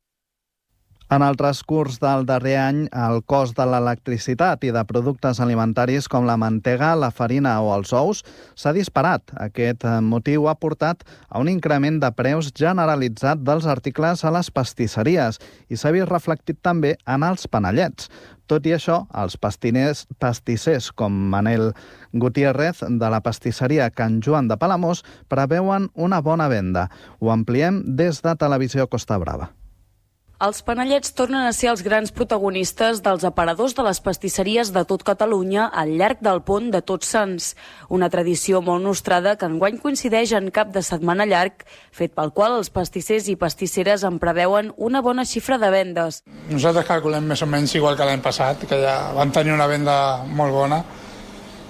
En el transcurs del darrer any, el cost de l'electricitat i de productes alimentaris com la mantega, la farina o els ous s'ha disparat. Aquest motiu ha portat a un increment de preus generalitzat dels articles a les pastisseries i s'ha vist reflectit també en els panellets. Tot i això, els pastissers com Manel Gutiérrez de la pastisseria Can Joan de Palamós preveuen una bona venda. Ho ampliem des de Televisió Costa Brava. Els panellets tornen a ser els grans protagonistes dels aparadors de les pastisseries de tot Catalunya al llarg del Pont de Tots Sants. Una tradició molt nostrada que enguany coincideix en cap de setmana llarg, fet pel qual els pastissers i pastisseres en preveuen una bona xifra de vendes. Nosaltres calculem més o menys igual que l'any passat, que ja vam tenir una venda molt bona,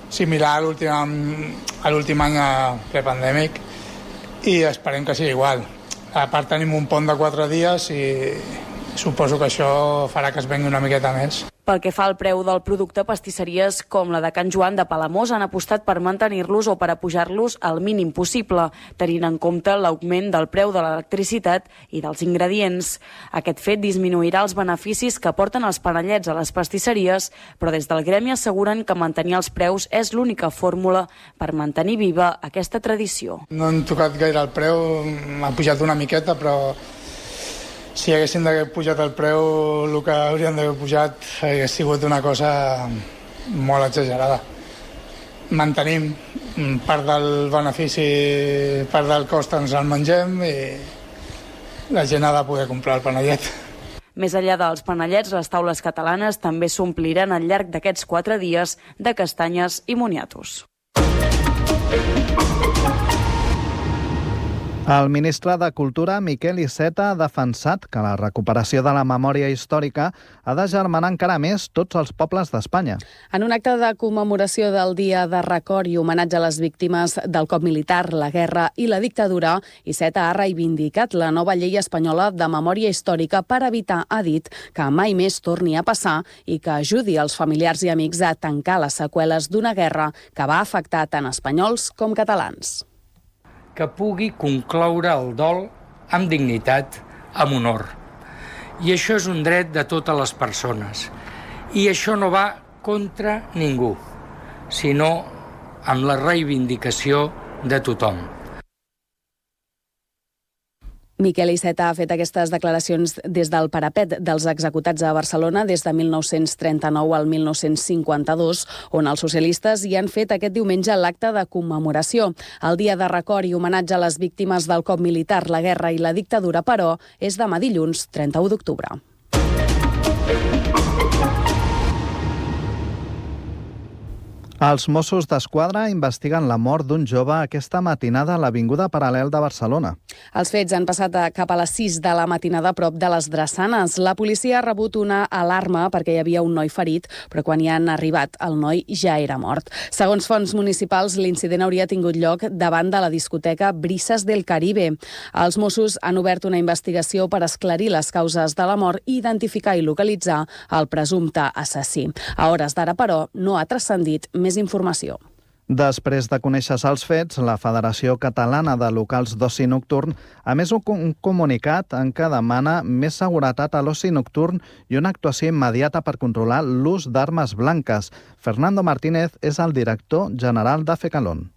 similar a l'últim any prepandèmic, i esperem que sigui igual. A part tenim un pont de 4 dies i suposo que això farà que es vengui una miqueta més. Pel que fa al preu del producte, pastisseries com la de Can Joan de Palamós han apostat per mantenir-los o per apujar-los al mínim possible, tenint en compte l'augment del preu de l'electricitat i dels ingredients. Aquest fet disminuirà els beneficis que porten els panellets a les pastisseries, però des del gremi asseguren que mantenir els preus és l'única fórmula per mantenir viva aquesta tradició. No hem tocat gaire el preu, ha pujat una miqueta, però si haguéssim d'haver pujat el preu, el que hauríem d'haver pujat hagués sigut una cosa molt exagerada. Mantenim part del benefici, part del cost ens el mengem i la gent ha de poder comprar el panellet. Més enllà dels panellets, les taules catalanes també s'ompliran al llarg d'aquests 4 dies de castanyes i moniatos. El ministre de Cultura, Miquel Iceta, ha defensat que la recuperació de la memòria històrica ha de germanar encara més tots els pobles d'Espanya. En un acte de commemoració del Dia de Record i homenatge a les víctimes del cop militar, la guerra i la dictadura, Iceta ha reivindicat la nova llei espanyola de memòria històrica per evitar, ha dit, que mai més torni a passar i que ajudi els familiars i amics a tancar les seqüeles d'una guerra que va afectar tant espanyols com catalans. Que pugui concloure el dol amb dignitat, amb honor. I això és un dret de totes les persones. I això no va contra ningú, sinó amb la reivindicació de tothom. Miquel Iceta ha fet aquestes declaracions des del parapet dels executats a Barcelona des de 1939 al 1952, on els socialistes hi han fet aquest diumenge l'acte de commemoració. El dia de record i homenatge a les víctimes del cop militar, la guerra i la dictadura, però, és demà dilluns, 31 d'octubre. Els Mossos d'Esquadra investiguen la mort d'un jove aquesta matinada a l'Avinguda Paral·lel de Barcelona. Els fets han passat cap a les 6 de la matinada a prop de les Drassanes. La policia ha rebut una alarma perquè hi havia un noi ferit, però quan hi han arribat el noi ja era mort. Segons fonts municipals, l'incident hauria tingut lloc davant de la discoteca Brisas del Caribe. Els Mossos han obert una investigació per esclarir les causes de la mort i identificar i localitzar el presumpte assassí. A hores d'ara, però, no ha transcendit més informació. Després de conèixer-se els fets, la Federació Catalana de Locals d'Oci Nocturn ha emès un comunicat en què demana més seguretat a l'oci nocturn i una actuació immediata per controlar l'ús d'armes blanques. Fernando Martínez és el director general de FECALON.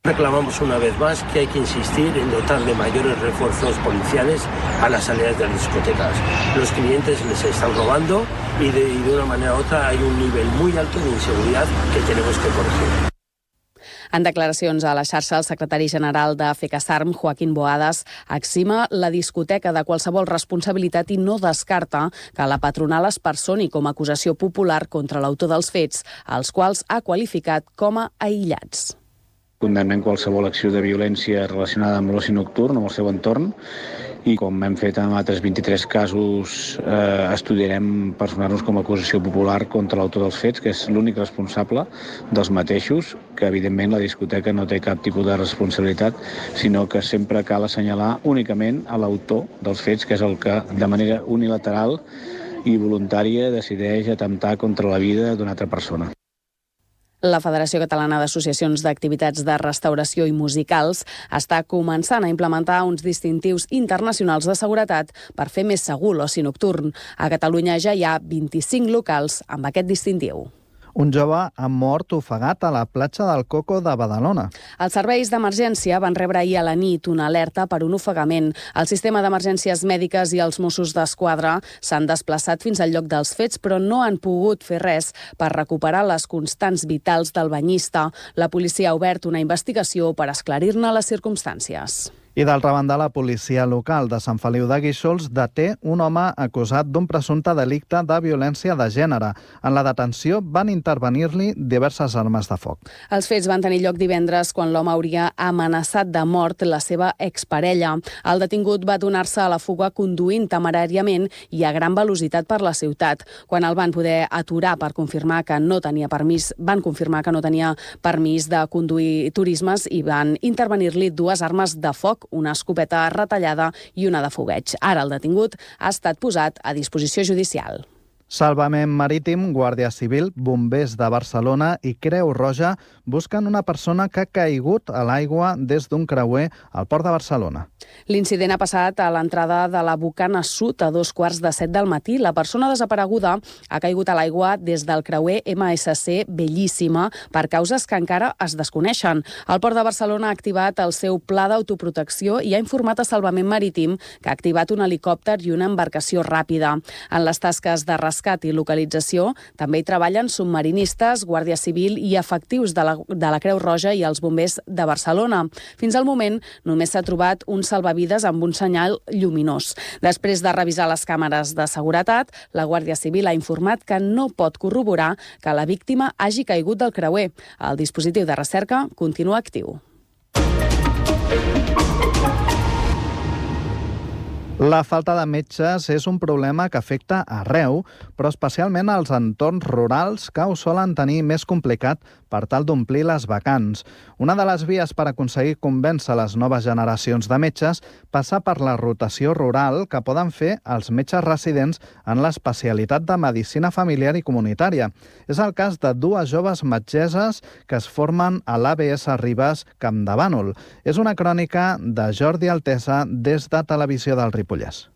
Reclamamos una vez más que hay que insistir en dotar de mayores refuerzos policiales a las salidas de las discotecas. Los clientes les están robando y de una manera u otra hay un nivel muy alto de inseguridad que tenemos que corregir. En declaracions a la xarxa, el secretari general de FECASARM, Joaquín Boadas, exima la discoteca de qualsevol responsabilitat i no descarta que la patronal es personi com a acusació popular contra l'autor dels fets, els quals ha qualificat com a aïllats. Condemnem qualsevol acció de violència relacionada amb l'oci nocturn, amb el seu entorn, i com hem fet en altres 23 casos, estudiarem personar-nos com a acusació popular contra l'autor dels fets, que és l'únic responsable dels mateixos, que evidentment la discoteca no té cap tipus de responsabilitat, sinó que sempre cal assenyalar únicament a l'autor dels fets, que és el que de manera unilateral i voluntària decideix atemptar contra la vida d'una altra persona. La Federació Catalana d'Associacions d'Activitats de Restauració i Musicals està començant a implementar uns distintius internacionals de seguretat per fer més segur l'oci nocturn. A Catalunya ja hi ha 25 locals amb aquest distintiu. Un jove ha mort ofegat a la platja del Coco de Badalona. Els serveis d'emergència van rebre ahir a la nit una alerta per un ofegament. El sistema d'emergències mèdiques i els Mossos d'Esquadra s'han desplaçat fins al lloc dels fets, però no han pogut fer res per recuperar les constants vitals del banyista. La policia ha obert una investigació per esclarir-ne les circumstàncies. I d'altra banda, la policia local de Sant Feliu de Guíxols deté un home acusat d'un presumpte delicte de violència de gènere. En la detenció van intervenir-li diverses armes de foc. Els fets van tenir lloc divendres quan l'home hauria amenaçat de mort la seva exparella. El detingut va donar-se a la fuga conduint temeràriament i a gran velocitat per la ciutat. Quan el van poder aturar per confirmar que no tenia permís, de conduir turismes i van intervenir-li dues armes de foc, una escopeta retallada i una de fogueig. Ara el detingut ha estat posat a disposició judicial. Salvament Marítim, Guàrdia Civil, Bombers de Barcelona i Creu Roja busquen una persona que ha caigut a l'aigua des d'un creuer al Port de Barcelona. L'incident ha passat a l'entrada de la Bocana Sud a 2:15 del matí. La persona desapareguda ha caigut a l'aigua des del creuer MSC Bellíssima per causes que encara es desconeixen. El Port de Barcelona ha activat el seu pla d'autoprotecció i ha informat a Salvament Marítim que ha activat un helicòpter i una embarcació ràpida. En les tasques de rescat i localització també hi treballen submarinistes, Guàrdia Civil i efectius de la Creu Roja i els bombers de Barcelona. Fins al moment només s'ha trobat un salvavides amb un senyal lluminós. Després de revisar les càmeres de seguretat, la Guàrdia Civil ha informat que no pot corroborar que la víctima hagi caigut del creuer. El dispositiu de recerca continua actiu. La falta de metges és un problema que afecta arreu, però especialment als entorns rurals que ho solen tenir més complicat per tal d'omplir les vacants. Una de les vies per aconseguir convèncer les noves generacions de metges passa per la rotació rural que poden fer els metges residents en l'especialitat de medicina familiar i comunitària. És el cas de dues joves metgesses que es formen a l'ABS Ribes Campdevànol. És una crònica de Jordi Altesa des de Televisió del Ripollès.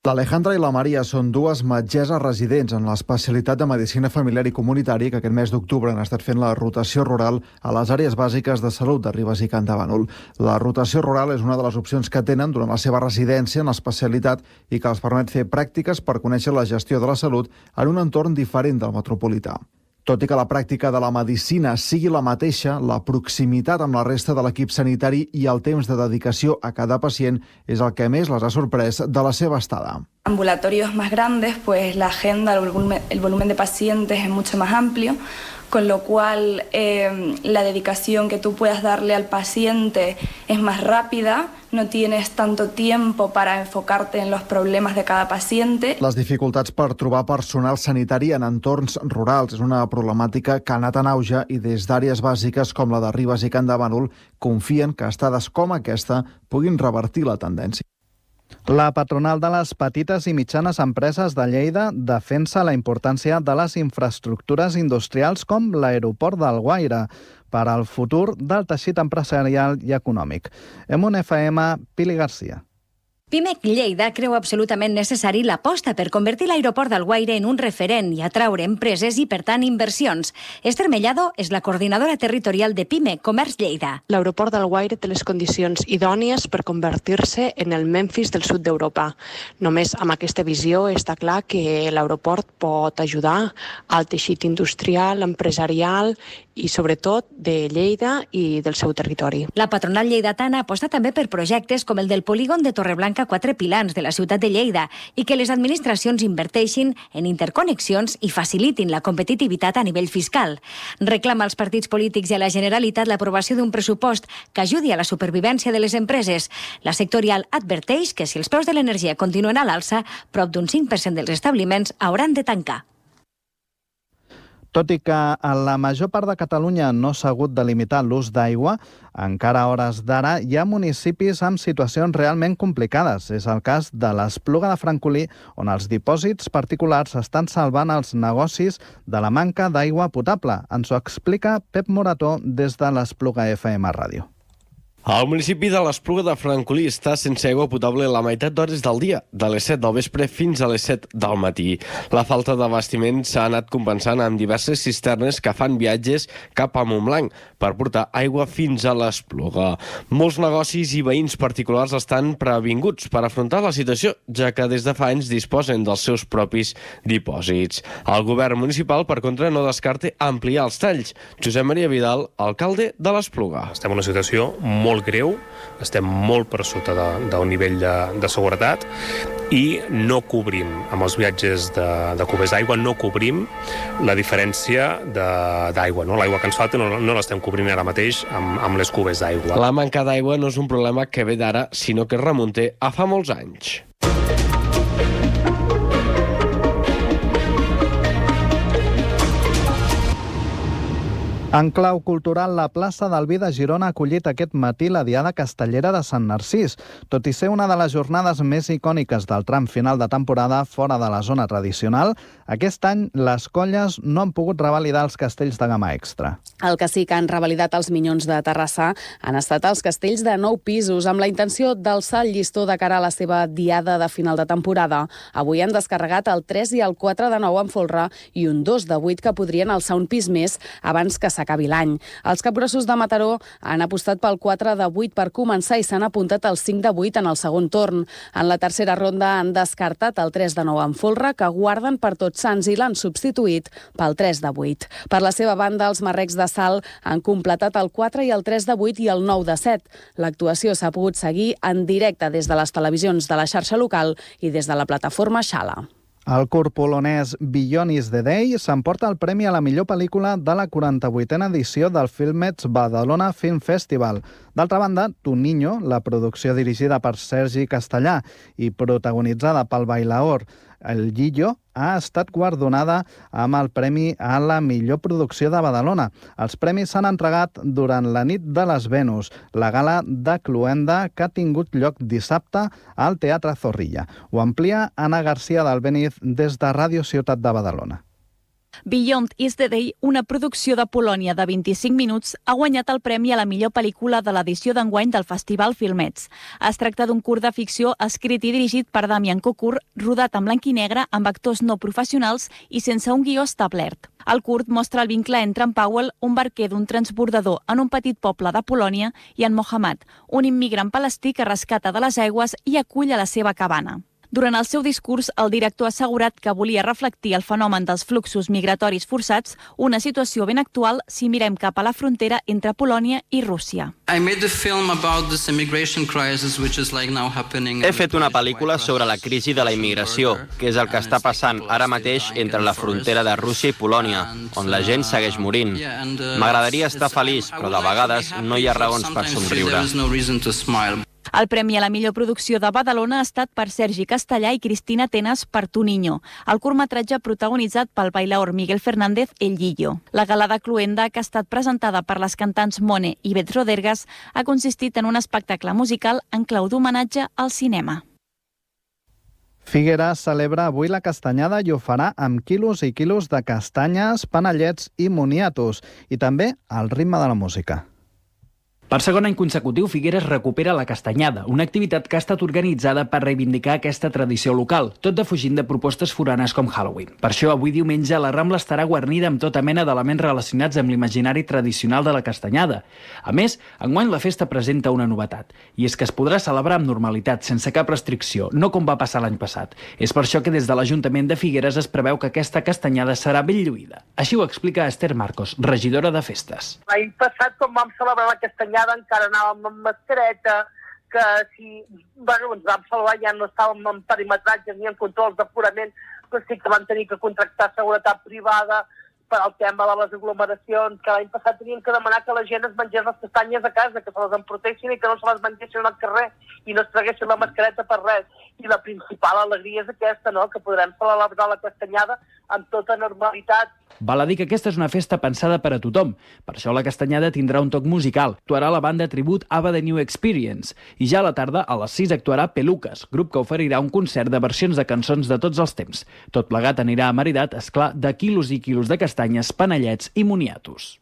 L'Alejandra i la Maria són dues metgesses residents en l'especialitat de medicina familiar i comunitari que aquest mes d'octubre han estat fent la rotació rural a les àrees bàsiques de salut de Ribes i Campdevànol. La rotació rural és una de les opcions que tenen durant la seva residència en l'especialitat i que els permet fer pràctiques per conèixer la gestió de la salut en un entorn diferent del metropolità. Tot i que la pràctica de la medicina sigui la mateixa, la proximitat amb la resta de l'equip sanitari i el temps de dedicació a cada pacient és el que més les ha sorprès de la seva estada. Ambulatorios más grandes, pues la agenda, el volumen de pacientes es mucho más amplio, con lo cual la dedicación que tú puedas darle al paciente es más rápida, no tienes tanto tiempo para enfocarte en los problemas de cada paciente. Les dificultats per trobar personal sanitari en entorns rurals és una problemàtica que ha anat en auge i des d'àrees bàsiques com la de Ribes i Campdevànol confien que estades com aquesta puguin revertir la tendència. La patronal de les petites i mitjanes empreses de Lleida defensa la importància de les infraestructures industrials com l'aeroport d'Alguaire per al futur del teixit empresarial i econòmic. En un FM, Pili Garcia. Pimec Lleida creu absolutament necessari l'aposta per convertir l'aeroport d'Alguaire en un referent i atraure empreses i, per tant, inversions. Esther Mellado és la coordinadora territorial de Pimec Comerç Lleida. L'aeroport d'Alguaire té les condicions idònies per convertir-se en el Memphis del sud d'Europa. Només amb aquesta visió està clar que l'aeroport pot ajudar al teixit industrial, empresarial i, sobretot, de Lleida i del seu territori. La patronal lleidatana aposta també per projectes com el del polígon de Torreblanca 4 Pilans de la ciutat de Lleida i que les administracions inverteixin en interconnexions i facilitin la competitivitat a nivell fiscal. Reclama als partits polítics i a la Generalitat l'aprovació d'un pressupost que ajudi a la supervivència de les empreses. La sectorial adverteix que si els preus de l'energia continuen a l'alça, prop d'un 5% dels establiments hauran de tancar. Tot i que a la major part de Catalunya no s'ha hagut de limitar l'ús d'aigua, encara a hores d'ara hi ha municipis amb situacions realment complicades. És el cas de l'Espluga de Francolí, on els dipòsits particulars estan salvant els negocis de la manca d'aigua potable. Ens ho explica Pep Morató des de l'Espluga FM Ràdio. El municipi de l'Espluga de Francolí està sense aigua potable la meitat d'hores del dia, de les 7 del vespre fins a les 7 del matí. La falta d'abastiment s'ha anat compensant amb diverses cisternes que fan viatges cap a Montblanc per portar aigua fins a l'Espluga. Molts negocis i veïns particulars estan previnguts per afrontar la situació, ja que des de fa anys disposen dels seus propis dipòsits. El govern municipal, per contra, no descarta ampliar els talls. Josep Maria Vidal, alcalde de l'Espluga. Estem en una situació molt greu, estem molt per sota del nivell de seguretat i no cobrim, amb els viatges de cubers d'aigua, no cobrim la diferència d'aigua. No? L'aigua que ens falta no l'estem cobrint ara mateix amb les cubers d'aigua. La manca d'aigua no és un problema que ve d'ara, sinó que es remunta a fa molts anys. En clau cultural, la plaça del Vi de Girona ha acollit aquest matí la Diada Castellera de Sant Narcís. Tot i ser una de les jornades més icòniques del tram final de temporada fora de la zona tradicional, aquest any les colles no han pogut revalidar els castells de gamma extra. El que sí que han revalidat els Minyons de Terrassa han estat els castells de 9 pisos, amb la intenció d'alçar el llistó de cara a la seva Diada de final de temporada. Avui han descarregat el 3 i el 4 de 9 en folre i un 2 de 8 que podrien alçar un pis més abans que s'acabi l'any. Els capgrossos de Mataró han apostat pel 4 de 8 per començar i s'han apuntat al 5 de 8 en el segon torn. En la tercera ronda han descartat el 3 de 9 en folre, que guarden per Tots Sants, i l'han substituït pel 3 de 8. Per la seva banda, els marrecs de Salt han completat el 4 i el 3 de 8 i el 9 de 7. L'actuació s'ha pogut seguir en directe des de les televisions de la xarxa local i des de la plataforma Xala. El curt polonès Beyond is the Day s'emporta el premi a la millor pel·lícula de la 48a edició del Filmets Badalona Film Festival. D'altra banda, Tu Niño, la producció dirigida per Sergi Castellà i protagonitzada pel bailaor El Guillo, ha estat guardonada amb el Premi a la millor producció de Badalona. Els premis s'han entregat durant la nit de les Venus, la gala de Cluenda que ha tingut lloc dissabte al Teatre Zorrilla. Ho amplia Anna García d'Albéniz des de Ràdio Ciutat de Badalona. Beyond is the Day, una producció de Polònia de 25 minuts, ha guanyat el premi a la millor pel·lícula de l'edició d'enguany del Festival Filmets. Es tracta d'un curt de ficció escrit i dirigit per Damian Kokur, rodat en blanc i negre amb actors no professionals i sense un guió establert. El curt mostra el vincle entre en Powell, un barquer d'un transbordador en un petit poble de Polònia, i en Mohammad, un immigrant palestí que rescata de les aigües i acull a la seva cabana. Durant el seu discurs, el director ha assegurat que volia reflectir el fenomen dels fluxos migratoris forçats, una situació ben actual si mirem cap a la frontera entre Polònia i Rússia. He fet una pel·lícula sobre la crisi de la immigració, que és el que està passant ara mateix entre la frontera de Rússia i Polònia, on la gent segueix morint. M'agradaria estar feliç, però de vegades no hi ha raons per somriure. El premi a la millor producció de Badalona ha estat per Sergi Castellà i Cristina Tenas per Tu Niño, el curtmetratge protagonitzat pel bailaor Miguel Fernández El Guillo. La gala de Cluenda, que ha estat presentada per les cantants Mone i Bet Rodergas, ha consistit en un espectacle musical en clau d'homenatge al cinema. Figueres celebra avui la castanyada i ho farà amb quilos i quilos de castanyes, panellets i moniatos, i també al ritme de la música. Per segon any consecutiu, Figueres recupera la castanyada, una activitat que ha estat organitzada per reivindicar aquesta tradició local, tot defugint de propostes foranes com Halloween. Per això, avui diumenge, la Rambla estarà guarnida amb tota mena d'elements relacionats amb l'imaginari tradicional de la castanyada. A més, enguany la festa presenta una novetat, i és que es podrà celebrar amb normalitat, sense cap restricció, no com va passar l'any passat. És per això que des de l'Ajuntament de Figueres es preveu que aquesta castanyada serà ben lluïda. Així ho explica Esther Marcos, regidora de Festes. L'any passat, quan vam celebrar la castanyada, encara anàvem amb mascareta, que si ens vam salvar ja no estàvem en perimetratges ni en controls d'aforament, però sí que vam tenir que contractar seguretat privada per al tema de les aglomeracions, que l'any passat teníem que demanar que la gent es mengés les castanyes a casa, que se les emportessin i que no se les mengessin al carrer i no es traguessin la mascareta per res. I la principal alegria és aquesta, no?, que podrem celebrar la castanyada amb tota normalitat. Val a dir que aquesta és una festa pensada per a tothom. Per això la castanyada tindrà un toc musical. Actuarà la banda tribut Ava The New Experience. I ja a la tarda, a les 6, actuarà Peluques, grup que oferirà un concert de versions de cançons de tots els temps. Tot plegat anirà amaridat, esclar, de quilos i quilos de castanyes, panellets i moniatos.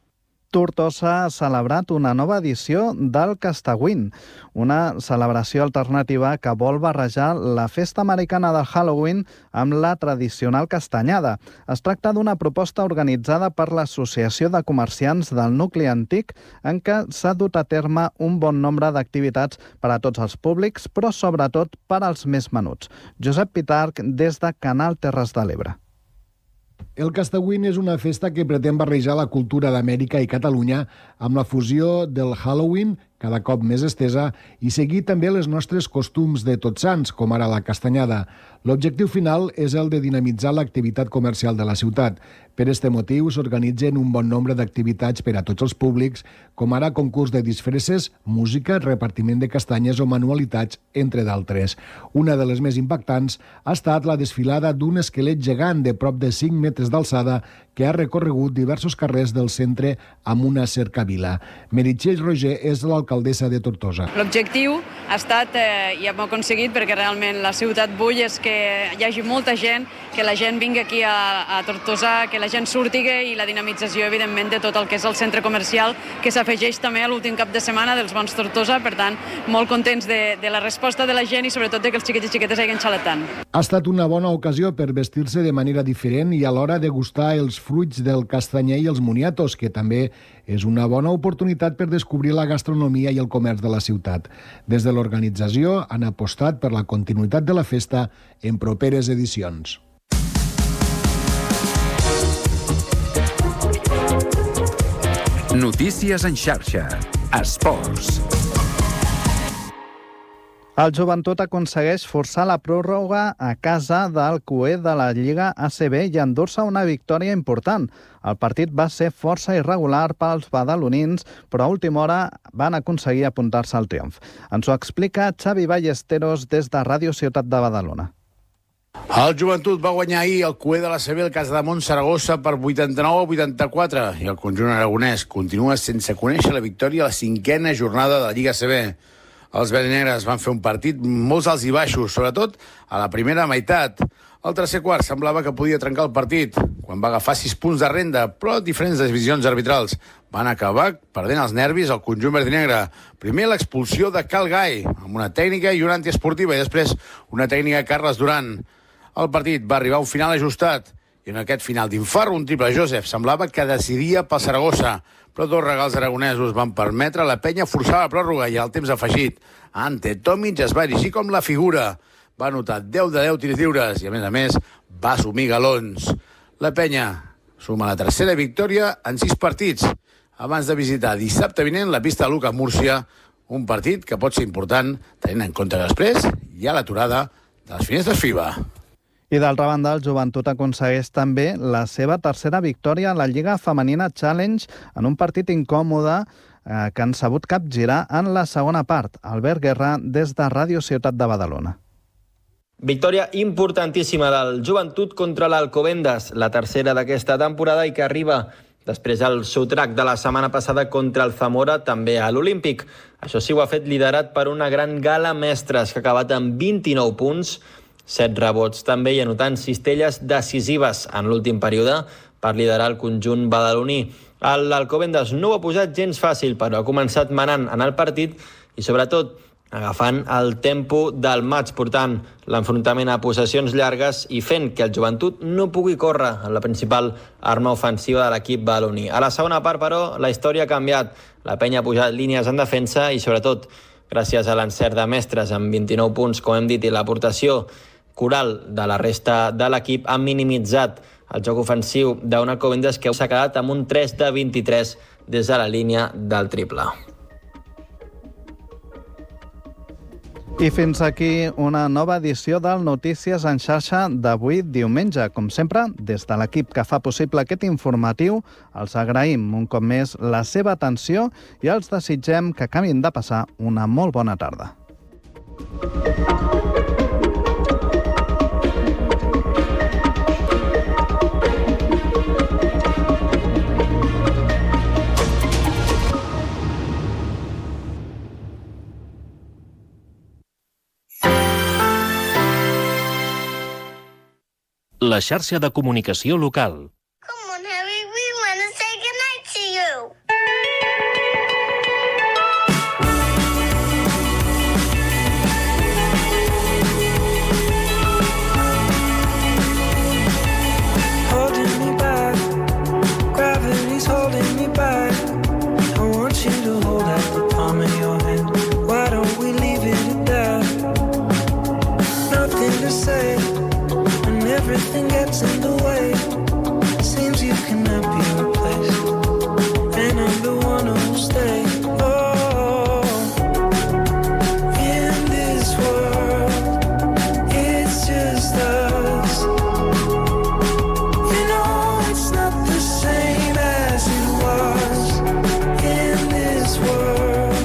Tortosa ha celebrat una nova edició del Castagüín, una celebració alternativa que vol barrejar la festa americana de Halloween amb la tradicional castanyada. Es tracta d'una proposta organitzada per l'Associació de Comerciants del Nucli Antic, en què s'ha dut a terme un bon nombre d'activitats per a tots els públics, però sobretot per als més menuts. Josep Pitarch, des de Canal Terres de l'Ebre. El Castagüín és una festa que pretén barrejar la cultura d'Amèrica i Catalunya amb la fusió del Halloween, cada cop més estesa, i seguir també les nostres costums de Tots Sants, com ara la castanyada. L'objectiu final és el de dinamitzar l'activitat comercial de la ciutat. Per este motiu s'organitzen un bon nombre d'activitats per a tots els públics, com ara concurs de disfresses, música, repartiment de castanyes o manualitats, entre d'altres. Una de les més impactants ha estat la desfilada d'un esquelet gegant de prop de 5 metres d'alçada que ha recorregut diversos carrers del centre amb una cercavila. Meritxell Roger és l'alcaldessa de Tortosa. L'objectiu ha estat, i hem aconseguit, perquè realment la ciutat bull, és que hi hagi molta gent, que la gent vingui aquí a Tortosa, que la gent surti, i la dinamització, evidentment, de tot el que és el centre comercial, que s'afegeix també a l'últim cap de setmana dels Bons Tortosa. Per tant, molt contents de la resposta de la gent i sobretot de que els xiquets i xiquetes hagin xalat tant. Ha estat una bona ocasió per vestir-se de manera diferent i alhora degustar els fruits del castanyer i els moniatos, que també és una bona oportunitat per descobrir la gastronomia i el comerç de la ciutat. Des de l'organització han apostat per la continuïtat de la festa en properes edicions. Notícies en xarxa. Esports. El Joventut aconsegueix forçar la pròrroga a casa del cué de la Lliga ACB i endur-se una victòria important. El partit va ser força irregular pels badalonins, però a última hora van aconseguir apuntar-se al triomf. Ens ho explica Xavi Ballesteros des de Ràdio Ciutat de Badalona. El Joventut va guanyar ahir el cué de la CB al Casademont Saragossa per 89-84 i el conjunt aragonès continua sense conèixer la victòria a la 5a jornada de la Lliga ACB. Els verdinegres van fer un partit molts alts i baixos, sobretot a la primera meitat. Al tercer quart semblava que podia trencar el partit, quan va agafar 6 punts de renda, però diferents decisions arbitrals van acabar perdent els nervis al conjunt verdinegre. Primer l'expulsió de Cal Gai, amb una tècnica i una antiesportiva, i després una tècnica de Carles Duran. El partit va arribar a un final ajustat, i en aquest final d'infart, un triple Joseph semblava que decidia pel Saragossa, però dos regals aragonesos van permetre la penya forçar la pròrroga i al temps afegit. Ante Tomic es va erigir com la figura. Va anotar 10 de 10 tirs lliures i, a més, va assumir galons. La penya suma la tercera victòria en 6 partits, abans de visitar dissabte vinent la pista de Luca Múrcia, un partit que pot ser important tenint en compte que després hi ha l'aturada de les finestres FIBA. I d'altra banda, el Joventut aconsegueix també la seva tercera victòria a la Lliga Femenina Challenge en un partit incòmode que han sabut capgirar en la segona part. Albert Guerra, des de Ràdio Ciutat de Badalona. Victòria importantíssima del Joventut contra l'Alcobendas, la tercera d'aquesta temporada i que arriba després del sotrac de la setmana passada contra el Zamora, també a l'Olímpic. Això sí, ho ha fet liderat per una gran gala mestres que ha acabat amb 29 punts, 7 rebots també i anotant cistelles decisives en l'últim període per liderar el conjunt badaloní. L'Alcobendas no ho ha posat gens fàcil, però ha començat manant en el partit i sobretot agafant el tempo del maig, portant l'enfrontament a possessions llargues i fent que el Joventut no pugui córrer en la principal arma ofensiva de l'equip badaloní. A la segona part, però, la història ha canviat. La penya ha pujat línies en defensa i sobretot gràcies a l'encert de mestres amb 29 punts, com hem dit, i l'aportació coral de la resta de l'equip han minimitzat el joc ofensiu d'un Alcobendas que s'ha quedat amb un 3 de 23 des de la línia del triple. I fins aquí una nova edició del Notícies en xarxa d'avui diumenge. Com sempre, des de l'equip que fa possible aquest informatiu, els agraïm un cop més la seva atenció i els desitgem que acabin de passar una molt bona tarda. La xarxa de comunicació local. Come on, Harry, we want to say goodnight to you. Holding me back, gravity's holding me back. I want you to hold out the palm of your hand. Why don't we leave it at that? Nothing to say. Everything gets in the way. Seems you cannot be replaced, and I'm the one who'll stay. Oh, in this world, it's just us. You know it's not the same as it was. In this world,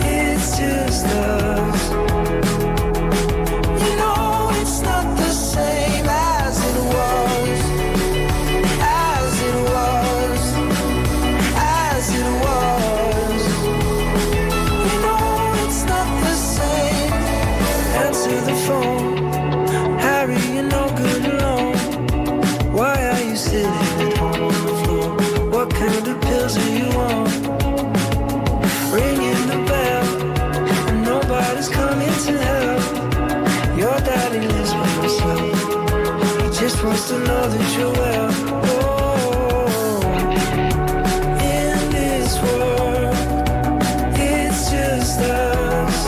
it's just us. You know it's not the same as it was, as it was, as it was. You know it's not the same. Answer the phone, Harry, you're no good alone. Why are you sitting at home on the floor? What kind of pills are you on? Ringing the bell, and nobody's coming to help. Your daddy lives by himself. He just wants to know that you're well. Oh, in this world, it's just us.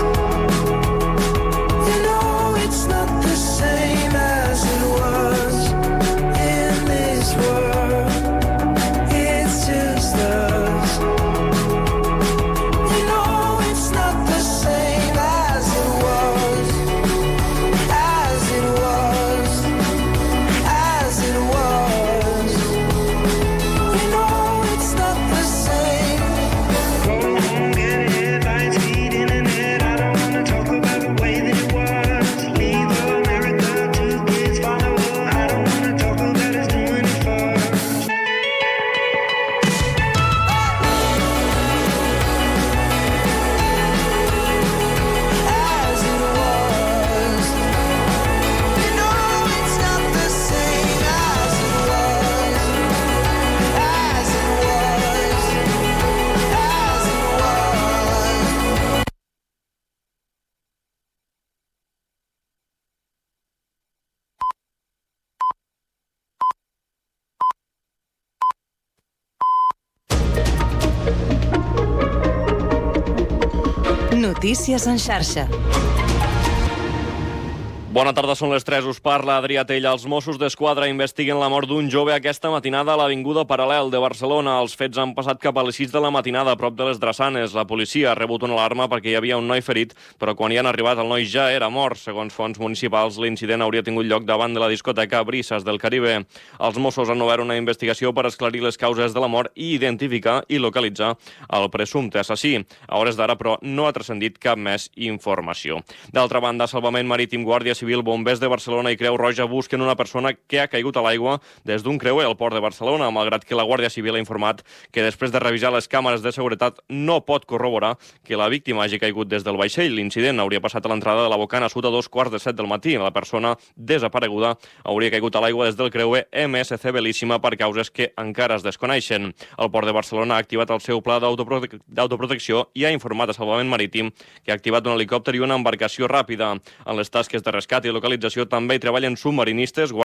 You know it's not the same as it was. In this world, it's just us. You know it's not the same as it was. Notícies en xarxa. Bona tarda, són les 3, us parla Adrià Tella. Els Mossos d'Esquadra investiguen la mort d'un jove aquesta matinada a l'Avinguda Paral·lel de Barcelona. Els fets han passat cap a les 6 de la matinada a prop de les Drassanes. La policia ha rebut una alarma perquè hi havia un noi ferit, però quan hi han arribat el noi ja era mort. Segons fonts municipals, l'incident hauria tingut lloc davant de la discoteca Brises del Caribe. Els Mossos han obert una investigació per esclarir les causes de la mort i identificar i localitzar el presumpte assassí. A hores d'ara, però, no ha transcendit cap més informació. D'altra banda, Salvament Marítim, Guàrdia Civil, Bombers de Barcelona i Creu Roja busquen una persona que ha caigut a l'aigua des d'un creuer al port de Barcelona, malgrat que la Guàrdia Civil ha informat que després de revisar les càmeres de seguretat no pot corroborar que la víctima hagi caigut des del vaixell. L'incident hauria passat a l'entrada de la Bocana Sud a 2:45 del matí. La persona desapareguda hauria caigut a l'aigua des del creuer MSC Bellíssima per causes que encara es desconeixen. El port de Barcelona ha activat el seu pla d'autoprotecció i ha informat a Salvament Marítim que ha activat un helicòpter i una embarcació ràpida. En les tasques de rescat i localització també hi treballen submarinistes,